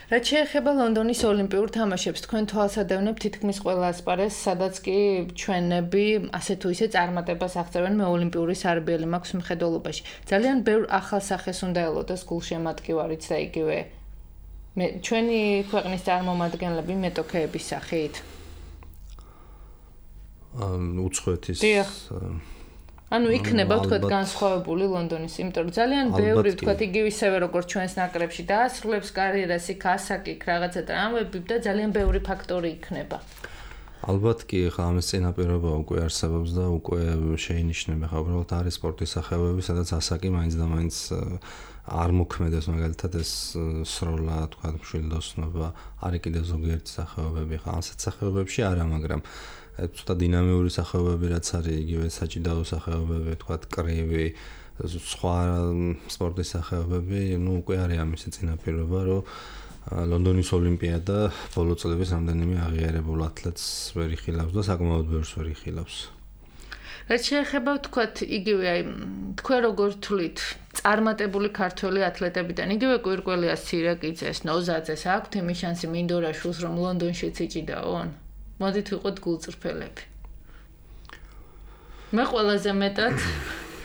რაც შეეხება ლონდონის ოლიმპიურ თამაშებს, თქვენ თვალსადევნებთ თითქმის ყველა ასპარეზს, სადაც კი ჩვენები ასე თუ ისე წარმატებას აღწევენ მე ოლიმპიური სარბიელი მაქვს მხედველობაში. ძალიან ბევრ ახალ სახეს უნდა ელოდეს გულშემატკივარიც და იგივე მე ჩვენი ქვეყნის წარმომადგენლები მეტოქეების სახით. უცხოეთის ანუ იქნება თქვათ განსხვავებული ლონდონის, იმიტომ რომ ძალიან ბევრი თქვათ იგივე ისევე როგორც ჩვენს ნაკრებში დაასრულებს კარიერას, იქ ასაკი, რაღაცა ტრამვები და ძალიან ბევრი ფაქტორი იქნება. ალბათ კი, ხა ამის წინაპირობა უკვე არსებობს და უკვე შეინიშნება, ხა უბრალოდ არის სპორტის სახეობები, სადაც ასაკი მაინც და მაინც არ მოქმედებს, მაგალითად ეს სროლა, თქვათ, მშვილდოსნობა, არის კიდევ ზოგიერთი სახეობები, ხა ასეთ სახეობებში არა, მაგრამ ცოტა დინამიური სახეობები რაც არის, იგივე საჭიდაო სახეობები, თქვათ, კრივი, სხვა სპორტის სახეობები, ну უკვე არის ამისი წინაპირობა, რომ ლონდონის ოლიმპიადა ბოლო წლების რამდენიმე აღიარებულ ათლეტს ვერ იხილავს და საკმაოდ ბევრს ვერ იხილავს. რაც შეეხება თქვათ იგივე აი თქვენ როგორ თვლით წარმატებული ქართველი ათლეტებიდან იგივე კვირკველიას ცირაკიძეს, ნოზაძეს აქვთ იმის შანსი მინდორაშვილს რომ ლონდონშიც იჭიდაონ? მოდით ვიყოთ გულწრფელები. მე ყველაზე მეტად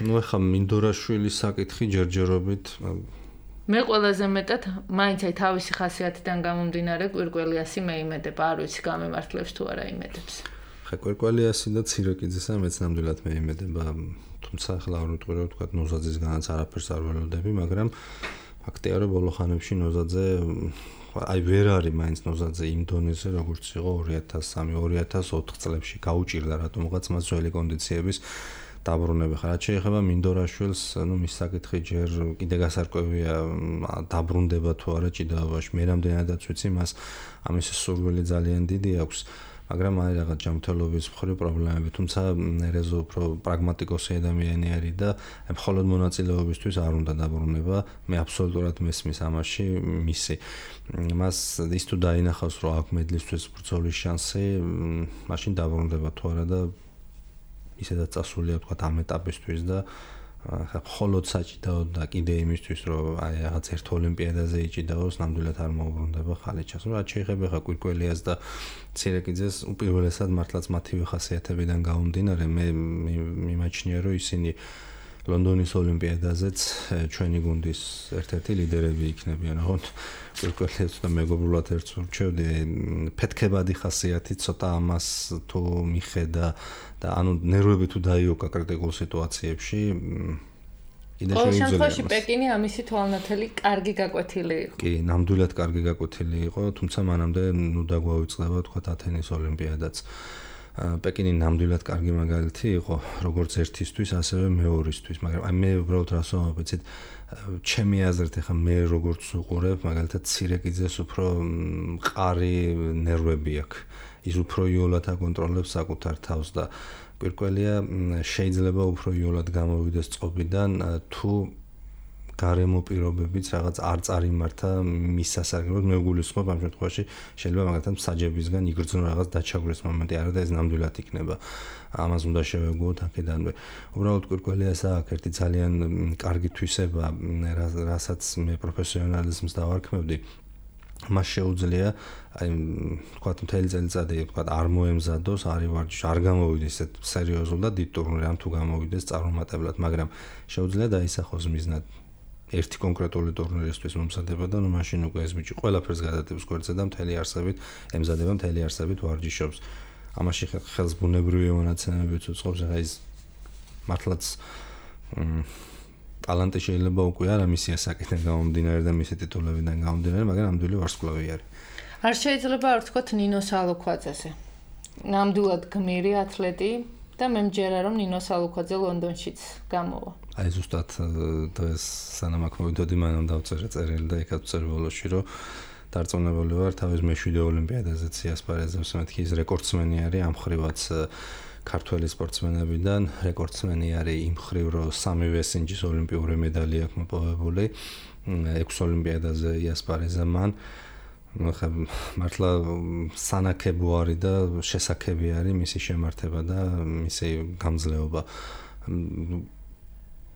ну ახლა მინდორაშვილის საკითხი ჯერჯერობით მე ყველაზე მეტად მაინც აი თავისი ხასიათიდან გამომდინარე კვირკველიასი მე იმედება, არ ვიცი გამემართლებს თუ არა იმედებს. ხა კვირკველიასი და ცირაკიძესა მეც ნამდვილად მე იმედება, თუმცა ახლა არ ვიტყვი რომ თქვა ნოზაძისგანაც არაფერს არ ველოდები, მაგრამ ფაქტია რომ ბოლო ხანებში ნოზაძე აი ვერ არის მაინც ნოზაძე იმ დონეზე როგორც იყო 2003-2004 წლებში გაუჭირდა რატომღაც მას ძველი კონდიციების დაბრუნება. რაც შეეხება მინდორაშვილს, ну მის საკითხი ჯერ კიდე გასარკვევია დაბრუნდება თუ არა ჭიდაობაში. მე რამდენადაც ვიცი მას ამის სურვილი ძალიან დიდი აქვს, მაგრამ არის რაღაც ჯანმრთელობის მხრივ პრობლემები, თუმცა ერეზო უფრო პრაგმატიკოსი ადამიანი არის და მხოლოდ მონაწილეობისთვის არ უნდა დაბრუნება. მე აბსოლუტურად მესმის ამაში მისი. მას ის თუ დაინახავს რომ აქვს მედლისთვის ბრძოლის შანსი, მაშინ დაბრუნდება თუ არა და ისედაც წასულია თქვა ამ ეტაპისთვის და მხოლოდ საჭიდაო და კიდე იმისთვის რომ აი რაღაც ერთ ოლიმპიადაზე იჭიდაოს ნამდვილად არ მოუბრუნდება ხალიჩას. რაც შეიძლება ხა კვირკველიას და ცირეკიძეს უპირველესად მართლაც მათივე ხასიათებიდან გამომდინარე მე მიმაჩნია რომ ისინი ლონდონის ოლიმპიადაზეც ჩვენი გუნდის ერთ-ერთი ლიდერები იქნებიან. ოღონდ კვირკველიას და მეგობრულად ერთს ურჩევდი ფეთქებადი ხასიათი ცოტა ამას თუ მიხედა და ანუ ნერვები თუ დაიოკა კრიტიკულ სიტუაციებში კიდე ყოველ შემთხვევაში პეკინი ამისი თვალნათელი კარგი გაკვეთილი იყო. კი, ნამდვილად კარგი გაკვეთილი იყო, თუმცა მანამდე ნუ დაგვაუწყდება თქვა ათენის ოლიმპიადაც. პეკინი ნამდვილად კარგი მაგალითი იყო, როგორც ერთისთვის, ასევე მეორისთვის, მაგრამ აი მე უბრალოდ რას ვამბობთ, ჩემი აზრით ახლა მე როგორც უყურებ, მაგალითად ცირეკიძეს უფრო მყარი ნერვები აქვს. ის უფრო იოლად აკონტროლებს საკუთარ თავს და კვირკველია შეიძლება უფრო იოლად გამოვიდეს წყობიდან თუ გარემო პირობებიც რაღაც არ წარიმართა მის სასარგებლოდ მე ვგულისხმობ ამ შემთხვევაში შეიძლება მაგალითად მსაჯებისგან იგრძნო რაღაც დაჩაგვრეს მომენტი არა და ეს ნამდვილად იქნება ამას უნდა შევეგუოთ აქედანვე უბრალოდ კვირკველიას აქვს ერთი ძალიან კარგი თვისება რასაც მე პროფესიონალიზმს დავარქმევდი მას შეუძლია აი თქვა მთელი წელიწადი თქვა არ მოემზადოს არის ვარჯიში არ გამოვიდეს ესეთ სერიოზულ და დიდ ტურნირში ან თუ გამოვიდეს წარუმატებლად მაგრამ შეუძლია დაისახოს მიზნად ერთი კონკრეტული ტურნირისთვის მომზადება და ნუ მაშინ უკვე ეს ბიჭი ყველაფერს გადადებს გვერდზე და მთელი არსებით ემზადება მთელი არსებით ვარჯიშობს ამაში ხელს ბუნებრივი მონაცემებიც უწყობს ახლა ის მართლაც ტალანტი შეიძლება უკვე არა მისი ასაკიდან გამომდინარე და მისი ტიტულებიდან გამომდინარე, მაგრამ ნამდვილი ვარსკვლავი არის. არ შეიძლება არ ვთქვათ ნინო სალოქვაძეზე. ნამდვილად გმირი ათლეტი და მე მჯერა რომ ნინო სალოქვაძე ლონდონშიც გამოვა. აი ზუსტად დღეს სანამ აქ მოვიდოდი მანამ დავწერე წერილი და იქაც ვწერ ბოლოში რომ დარწმუნებული ვარ თავის მე-7 ოლიმპიადაზეც იასპარეზებს მეთქი ის რეკორდსმენი არის ამ ხრივაც ქართველი სპორტსმენებიდან რეკორდსმენი არის იმ ხრივ რომ სამივე სინჯის ოლიმპიური მედალი აქვს მოპოვებული 6 ოლიმპიადაზე იასპარეზა მან მართლა სანაკებო არის და შესაძლებელი არის მისი შემართება და მისი გამძლეობა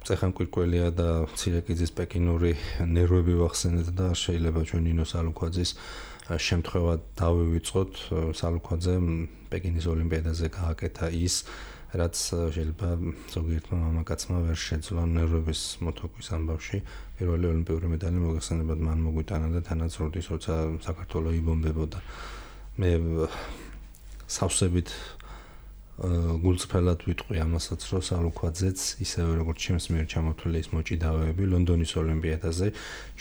წეხან კვირკველია და ცირეკიძის პეკინური ნერვები ვახსენეთ და შეიძლება ჩვენ ნინო სალოქვაძის შემთხვევა დავივიწყოთ სალოქვაძე პეკინის ოლიმპიადაზე გააკეთა ის რაც შეიძლება ზოგიერთმა მამაკაცმა ვერ შეძლო ნერვების მოთოკვის ამბავში პირველი ოლიმპიური მედალი მოგეხსენებათ მან მოგვიტანა და თანაც როდის როცა საქართველოს იბომბებოდა მე სავსებით გულწრფელად ვიტყვი ამასაც რომ სალოქვაძეც ისევე როგორც ჩემს მიერ ჩამოთვლილი ის მოჭიდავეები ლონდონის ოლიმპიადაზე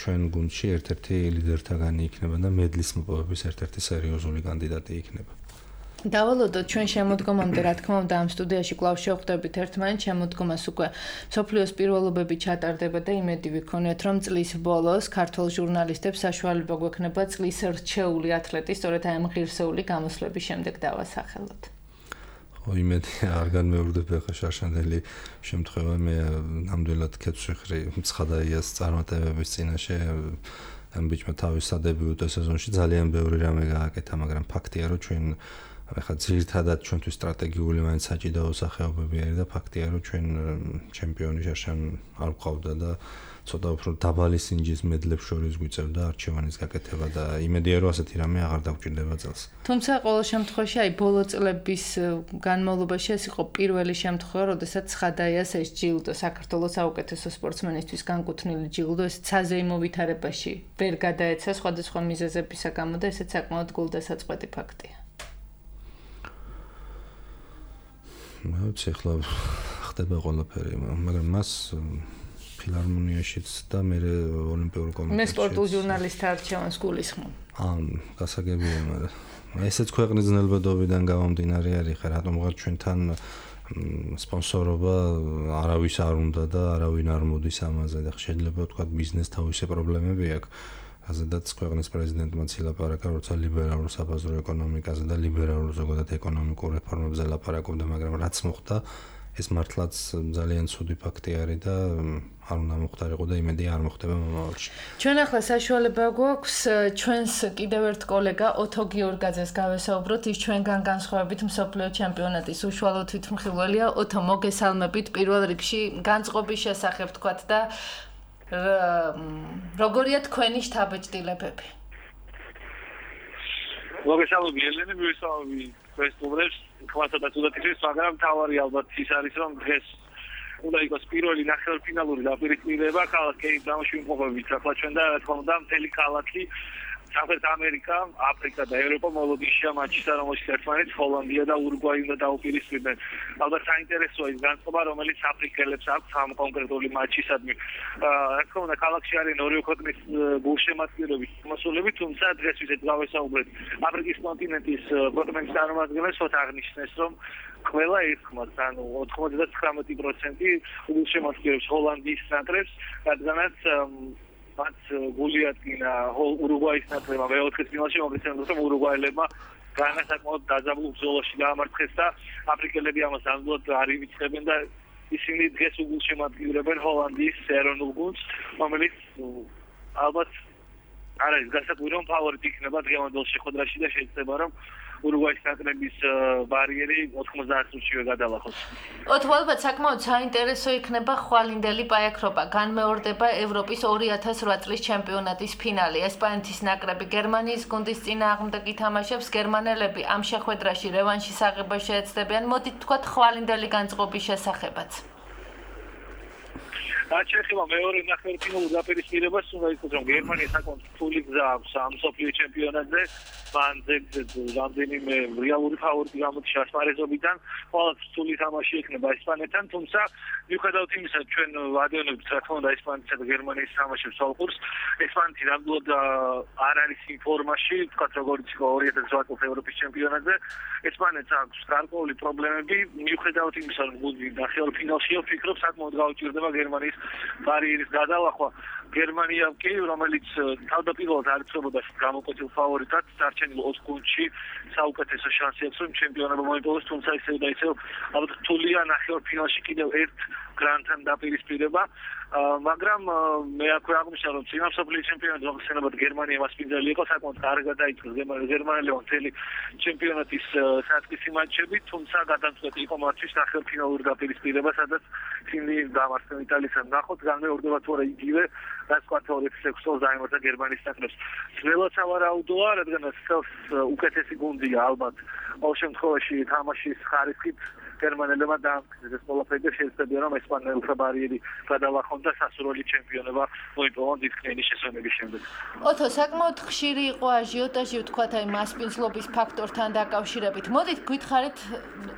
ჩვენ გუნდში ერთ-ერთი ლიდერთაგანი იქნება და მედლის მოპოვების ერთ-ერთი სერიოზული კანდიდატი იქნება. დავალოდოთ ჩვენ შემოდგომამდე რა თქმა უნდა ამ სტუდიაში კვლავ შევხვდებით ერთმანეთს შემოდგომას უკვე სოფლიოს პირველობები ჩატარდება და იმედი ვიქონიათ რომ წლის ბოლოს ქართულ ჟურნალისტებს საშუალება გვექნება წლის რჩეული ათლეტის სწორედ ამ ღირსეული გამოსვლების შემდეგ დავასახელოთ. იმედი არ განმეორდებ ახლა შარშანდელი შემთხვევა მე ნამდვილად კეთს ვიხრი ცხადაიას წარმატებების წინაშე ამ ბიჭმა თავის სადებიუტო სეზონში ძალიან ბევრი რამე გააკეთა მაგრამ ფაქტია რომ ჩვენ ახლა ძირითადად ჩვენთვის სტრატეგიული მაინც საჭიდაო სახეობები არის და ფაქტია რომ ჩვენ ჩემპიონი შარშან არ ვყავდა და ცოტა უფრო დაბალი სინჯის მედლებს შორის გვიწევდა არჩევანის გაკეთება და იმედია რომ ასეთი რამე აღარ დაგვჭირდება წელს. თუმცა ყოველ შემთხვევაში აი ბოლო წლების განმავლობაში ეს იყო პირველი შემთხვევა, როდესაც ცხადაიას ეს ჯილდო საქართველოს საუკეთესო სპორტსმენისთვის განკუთვნილი ჯილდო ეს საზეიმო ვითარებაში ვერ გადაეცა სხვადასხვა მიზეზებისა გამო და ესეც საკმაოდ გულდასაწყვეტი ფაქტია. მეც ახლა ხდება ყველაფერი, მაგრამ მას ფილარმონიაშიც და მე ოლიმპიურ კომიტეტში მე სპორტულ ჟურნალისტთა არჩევანს გულისხმობ. გასაგებია, მაგრამ ესეც ქვეყნის ძნელბედობიდან გამომდინარე არის, ხა რატომღაც ჩვენთან სპონსორობა არავის არ უნდა და არავინ არ მოდის ამაზე და შეიძლება ვთქვათ ბიზნეს თავისი პრობლემები აქვს. აზედაც ქვეყნის პრეზიდენტმა ცილაპარაკა, როცა ლიბერალურ საბაზრო ეკონომიკაზე და ლიბერალურ ზოგადად ეკონომიკურ რეფორმებზე ლაპარაკობდა, მაგრამ რაც მოხდა, ეს მართლაც ძალიან ცუდი ფაქტი არის და არ უნდა მოხდარიყო და იმედია არ მოხდება მომავალში. ჩვენ ახლა საშუალება გვაქვს ჩვენს კიდევ ერთ კოლეგა ოთო გიორგაძეს გავესაუბროთ, ის ჩვენგან განსხვავებით მსოფლიო ჩემპიონატის უშუალო თვითმხილველია. ოთო, მოგესალმებით პირველ რიგში განწყობის შესახებ თქვათ და როგორია თქვენი შთაბეჭდილებები? მოგესალმები ელენე, მივესალმები ფესტივალებს, კლასადაც უდათიშეს, მაგრამ თავარი ალბათ ის არის, რომ დღეს უნდა იყოს პირველი ნახევარფინალური დაპირისპირება ქალაქ კეიპტაუნში ვიმყოფებით. ახლა ჩვენ და რა თქმა უნდა მთელი ქალაქი სამხრეთ ამერიკა, აფრიკა და ევროპა მოლოდინშია მატჩისა, რომელშიც ერთმანეთს ჰოლანდია და ურუგვაი უნდა დაუპირისპირდნენ. ალბათ საინტერესოა ის განწყობა, რომელიც აფრიკელებს აქვს ამ კონკრეტული მატჩისადმი. რა თქმა უნდა, ქალაქში არის ორივე ქვეყნის გულშემატკივრების მოსულები, თუმცა დღეს ვიზეთ გავესაუბრეთ აფრიკის კონტინენტის ქვეყნების წარმომადგენლებს, აღნიშნეს, რომ ყველა ერთხმად, ანუ 99% გულშემატკივრებს ჰოლანდიის ნაკრებს, რადგანაც მათ გული ატკინა ურუგვაის ნაკრებმა მეოთხედფინალში, მოგესალმებით, რომ ურუგვაელებმა განსაკუთრებით დაძაბულ ბრძოლაში გაამარცხეს და აფრიკელები ამას ნამდვილად არ ივიწყებენ და ისინი დღეს უგულშემატკივრებენ ჰოლანდიის ეროვნულ გუნდს, რომელიც ალბათ არ არის განსაკუთრებული, რომ ფავორიტი იქნება დღევანდელ შეხვედრაში და შეიძლება, რომ ურუგვაის ნაკრების ბარიერი 90 წუთშივე გადალახოს. ოთო, ალბათ საკმაოდ საინტერესო იქნება ხვალინდელი პაექრობა. განმეორდება ევროპის 2008 წლის ჩემპიონატის ფინალი. ესპანეთის ნაკრები გერმანიის გუნდის წინააღმდეგ ითამაშებს. გერმანელები ამ შეხვედრაში რევანშის აღებას შეეცდებიან. მოდით თქვათ ხვალინდელი განწყობის შესახებაც. შეეხება მეორე ნახევარფინალურ დაპირისპირებას, უნდა ითქვას, რომ გერმანია საკმაოდ რთული გზა აქვს ამ მსოფლიო ჩემპიონატზე. მან რამდენიმე რეალური ფავორიტი გამოდის ასპარეზობიდან, ყოველთვის რთული თამაში ექნება ესპანეთთან, თუმცა მიუხედავად იმისა, ჩვენ ვადევნებთ, რა თქმა უნდა, ესპანეთსა და გერმანიის თამაშებს სოლყურს. ესპანეთი ნამდვილად არ არის იმ ფორმაში, თქვათ, როგორც იყო 2008 წლის ევროპის ჩემპიონატზე. ესპანეთს აქვს გარკვეული პრობლემები, მიუხედავად იმისა, რომ გუნდი ნახევარფინალშია, ვფიქრობ, საკმაოდ გაუჭირდება გერმანიის ბარიერის გადალახვა. გერმანია კი, რომელიც თავდაპირველად არ იცნობოდა გამოკვეთილ ფავორიტად, დარჩენილ 4 გუნდში საუკეთესო შანსი აქვს, რომ ჩემპიონობა მოიპოვოს, თუმცა ისევ და ისევ ალბათ რთულია ნახევარფინალში კიდევ ერთ გრანდთან დაპირისპირება. მაგრამ მე აქვე აღნიშნა, რომ წინა მსოფლიო ჩემპიონატი მოხსენებად გერმანია მასპინძელი იყო, საკმაოდ კარგად დაიწყო გერმანელებმა მთელი ჩემპიონატის საწყისი მატჩები, თუმცა გადამწყვეტი იყო მათთვის ნახევარფინალური დაპირისპირება, სადაც ისინი დამარცხდნენ იტალიასთან. ნახოთ, განმეორდება თუ არა იგივე, რაც 2006 წელს დაემართა გერმანიის ნაკრებს. ძნელად სავარაუდოა, რადგან უკეთესი გუნდია ალბათ. ყოველ შემთხვევაში თამაშის ხარისხით გერმანელებმა დაამტკიცეს ყველაფერი და შეეცდებიან, რომ ესპანელთა ბარიერი გადალახონ და სასურველი ჩემპიონობა მოიპოვონ დიდქნილის შესვენების შემდეგ. ოთო, საკმაოდ ხშირი იყო აჟიოტაჟი, ვთქვათ, აი მასპინძლობის ფაქტორთან დაკავშირებით. მოდით გვითხარით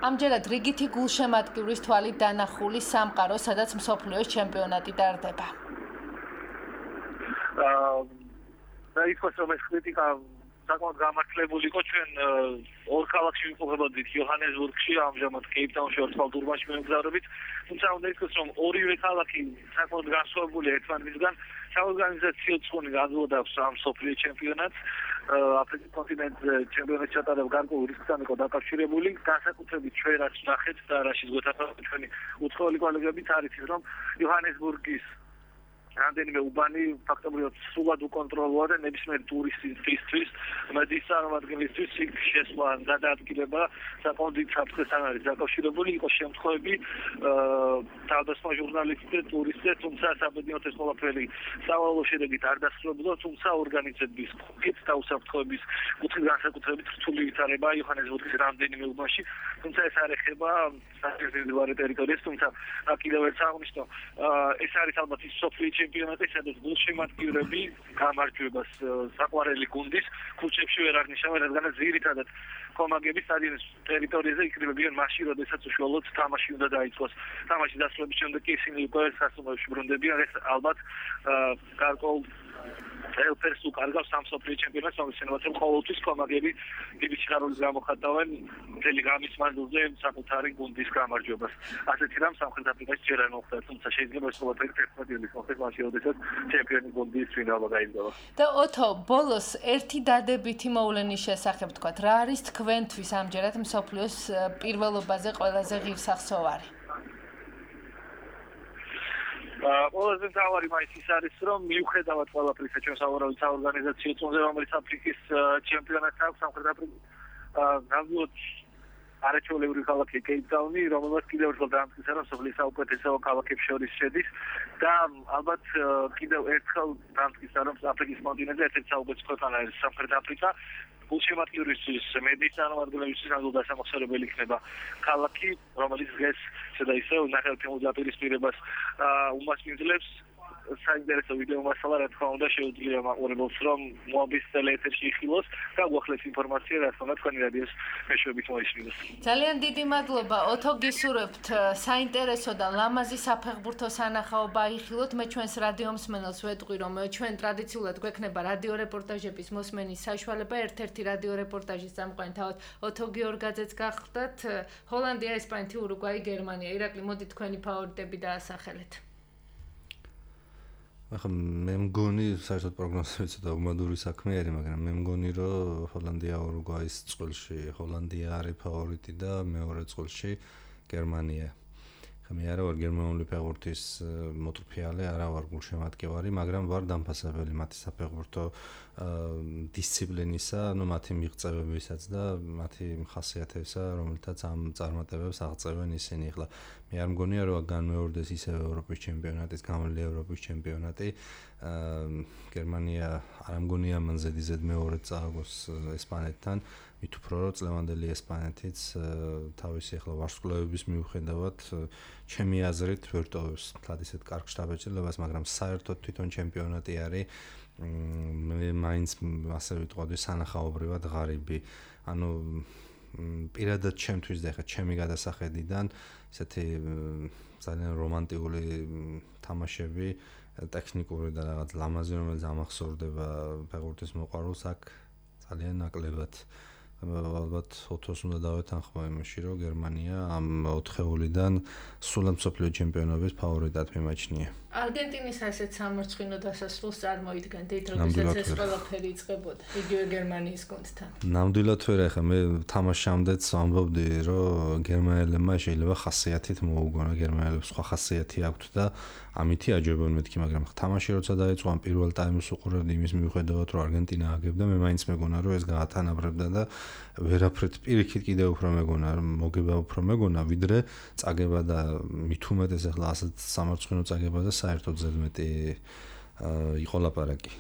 ამჯერად რიგითი გულშემატკივრის თვალით დანახული სამყარო, სადაც მსოფლიოს ჩემპიონატი ტარდება. და ითქვას, რომ ეს კრიტიკა საკმაოდ გამართლებული იყო. ჩვენ ორ ქალაქში ვიმყოფებოდით, იოჰანესბურგში, ამჟამად კეიპტაუნში, ორთვალდურმაში მივგზავრებით. თუმცა უნდა ითქვას, რომ ორივე ქალაქი საკმაოდ განსხვავებულია ერთმანეთისგან. საორგანიზაციო წონი განვლოდავს ამ მსოფლიო ჩემპიონატს. აფრიკის კონტინენტზე ჩემპიონატი ჩატარება გარკვეულ რისკთან იყო დაკავშირებული. განსაკუთრებით ჩვენ რაც ვნახეთ და რაშიც გვეთანხმება ჩვენი უცხოელი კოლეგებიც არის ის, რომ იოჰანესბურგის რამდენიმე უბანი ფაქტობრივად სულად უკონტროლოა და ნებისმიერ ტურისტისთვის, მედის წარმომადგენლისთვის იქ შესვლა და დაადგილება საკმაოდ დიდ საფრთხესთან არის დაკავშირებული. იყო შემთხვევები თავდასხმა ჟურნალისტზე, ტურისტზე, თუმცა საბედნიეროდ ეს ყველაფერი სავალალო შედეგით არ დასრულებულა, თუმცა ორგანიზების კუთხით და უსაფრთხოების კუთხით განსაკუთრებით რთული ვითარება იოჰანესბურგის რამდენიმე უბანში, თუმცა ეს არ ეხება საკუთრივ ტერიტორიას, თუმცა კიდევ ერთ აღნიშნო, ეს არის ალბათ ის სოფლიო ჩემპიონატი, სადაც გულშემატკივრები გამარჯვებას საყვარელი გუნდის ქუჩებში ვერ აღნიშნავენ, რადგან ძირითადად კომაგები სტადიონის ტერიტორიაზე იქნებიან მაშინ, როდესაც უშუალოდ თამაში უნდა დაიწყოს. თამაში დასრულების შემდეგ კი ისინი უკვე სასტუმროში ბრუნდებიან. ეს ალბათ გარკვეულ ელფერს უკარგავს ამ სოფლიო ჩემპიონატს, მოგესალმებით, რომ ყოველთვის კომაგები დიდი სიხარულით გამოხატავენ მთელი ღამის მანძილზე საკუთარი გუნდის გამარჯვებას. ასეთი რამ სამხრეთ აფრიკაში ჯერ არ მოხდა, თუმცა შეიძლება ეს ყველაფერი 11 იანვრის მოხდეს მაშინ, როდესაც ჩემპიონი გუნდის ფინალმა გაიგზავნა. და ოთო, ბოლოს ერთი დადებითი მოვლენის შესახებ თქვა, რა არის თქვენთვის ამჯერად მსოფლიოს პირველობაზე ყველაზე ღირსახსოვარი? ყველაზე მთავარი მაინც ის არის, რომ მიუხედავად ყველაფრისა, ჩვენ სავარაუდოდ საორგანიზაციო წონზე, რომელიც აფრიკის ჩემპიონატს აქვს სამხრეთ აფრიკის ნამდვილად არაჩვეულებრივი ქალაქი კეიპტაუნი, რომელსაც კიდევ ერთხელ დაამტკიცა, რომ სოფლის საუკეთესო ქალაქებს შორის შედის და ალბათ კიდევ ერთხელ დაამტკიცა, რომ აფრიკის კონტინენტზე ერთ-ერთი საუკეთესო ქვეყანა არის სამხრეთ აფრიკა. გულშემატკივრისთვის მედიის წარმომადგენლებისთვის ნამდვილად დასამახსოვრებელი იქნება ქალაქი, რომელიც დღეს ისე და ისე ნახევარფინალურ დაპირისპირებას უმასპინძლებს. საინტერესო ვიდეო მასალა რა თქმა უნდა შეუძლია მაყურებელს რომ მოაბის ტელეეთერში იხილოს და გვახლეს ინფორმაცია რა თქმა უნდა თქვენი რადიოს მეშვეობით მოისმინოს. ძალიან დიდი მადლობა. ოთო გისურვებთ საინტერესო და ლამაზი საფეხბურთო სანახაობა იხილოთ. მე ჩვენს რადიო მსმენელს ვეტყვი რომ ჩვენ ტრადიციულად გვექნება რადიო რეპორტაჟების მოსმენის საშუალება. ერთ-ერთი რადიო რეპორტაჟის წამყვანი თავად ოთო გიორგაძეც გახდათ. ჰოლანდია, ესპანეთი, ურუგვაი, გერმანია. ირაკლი, მოდი თქვენი ფავორიტები დაასახელეთ. ახლა მე მგონი საერთოდ პროგნოზები ცოტა უმადური საქმე არის, მაგრამ მე მგონი რომ ჰოლანდია ურუგვაის წყვილში ჰოლანდია არის ფავორიტი და მეორე წყვილში გერმანია. ხა მე არა ვარ გერმანული ფეხბურთის მოწვევალე, არა ვარ გულშემატკივარი, მაგრამ ვარ დამფასებელი მათი საფეხბურთო დისციპლინისა, მათი მიღწევებისაც და მათი ხასიათებისა, რომელთაც ამ წარმატებებს აღწევენ ისინი. ახლა მე არ მგონია რომ განმეორდეს ისევ ევროპის ჩემპიონატის, გამოვლილი ევროპის ჩემპიონატი. გერმანია არ მგონია მან ზედიზედ მეორედ წააგოს ესპანეთთან. მით უფრო რომ წლევანდელი ესპანეთიც თავისი ახლა ვარსკვლავების მიუხედავად ჩემი აზრით ვერ ტოვებს თლად ისეთ კარგ შტაბეჭდილებას, მაგრამ საერთოდ თვითონ ჩემპიონატი არის მე მაინც ასე ვიტყოდი სანახაობრივად ღარიბი. ანუ პირადად ჩემთვის და ახლა ჩემი გადასახედიდან ესეთი ძალიან რომანტიკული თამაშები, ტექნიკური და რაღაც ლამაზი, რომელიც ამახსოვრდება ფეხბურთის მოყვარულს, აქ ძალიან ნაკლებად. ალბათ ოთოს უნდა დავეთანხმო იმაში, რომ გერმანია ამ ოთხეულიდან სრულად მსოფლიო ჩემპიონობის ფავორიტად მიმაჩნია. არგენტინის ასეთ სამარცხინო დასასრულს წარმოიდგენთ, როდესაც ეს ყველაფერი იწყებოდა იგივე გერმანიის გუნდთან. ნამდვილად ვერ ახლა მე თამაშამდეც ამბობდი, რომ გერმანელებმა შეიძლება ხასიათით მოუგონა, გერმანელებს სხვა ხასიათი აქვთ და ამითი აჯობენ მეთქი, მაგრამ თამაში როცა დაიწყო ამ პირველ ტაიმს უყურებდი იმის მიუხედავად, რომ არგენტინა აგებდა, მე მაინც მეგონა, რომ ეს გაათანაბრებდა და ვერაფრით პირიქით კიდევ უფრო მეგონა, მოგება უფრო მეგონა, ვიდრე წაგება და მით უმეტეს ახლა ასეთ სამარცხინო წაგება და საერთოდ ზედმეტი იყო ლაპარაკი.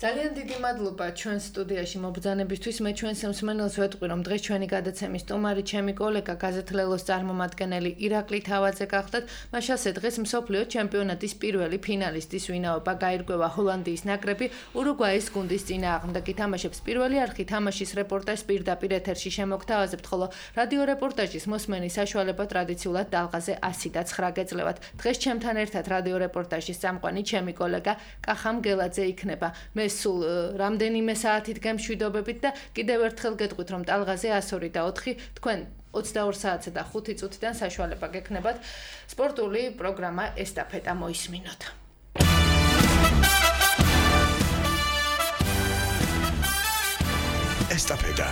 ძალიან დიდი მადლობა ჩვენ სტუდიაში მობრძანებისთვის. მე ჩვენს მსმენელს ვეტყვი, რომ დღეს ჩვენი გადაცემის სტუმარი ჩემი კოლეგა გაზეთ ლელოს წარმომადგენელი ირაკლი თავაძე გახდათ. მაშასე დღეს მსოფლიო ჩემპიონატის პირველი ფინალისტის ვინაობა გაირკვევა ჰოლანდიის ნაკრები ურუგვაის გუნდის წინააღმდეგ ითამაშებს. პირველი არხი თამაშის რეპორტაჟს პირდაპირ ეთერში შემოგთავაზებთ, ხოლო რადიო რეპორტაჟის მოსმენის საშუალება ტრადიციულად დალღაზე 109 გეძლევათ. დღეს ჩემთან ერთად რადიო რეპორტაჟის წამყვანი ჩემი კოლეგა კახამ გელაძე იქნება. მე სულ რამდენიმე საათით გემშვიდობებით და კიდევ ერთხელ გეტყვით, რომ ტალღაზე 102 და 4 თქვენ 22 საათზე და 5 წუთიდან საშუალება გექნებათ სპორტული პროგრამა ესტაფეტა მოისმინოთ. ესტაფეტა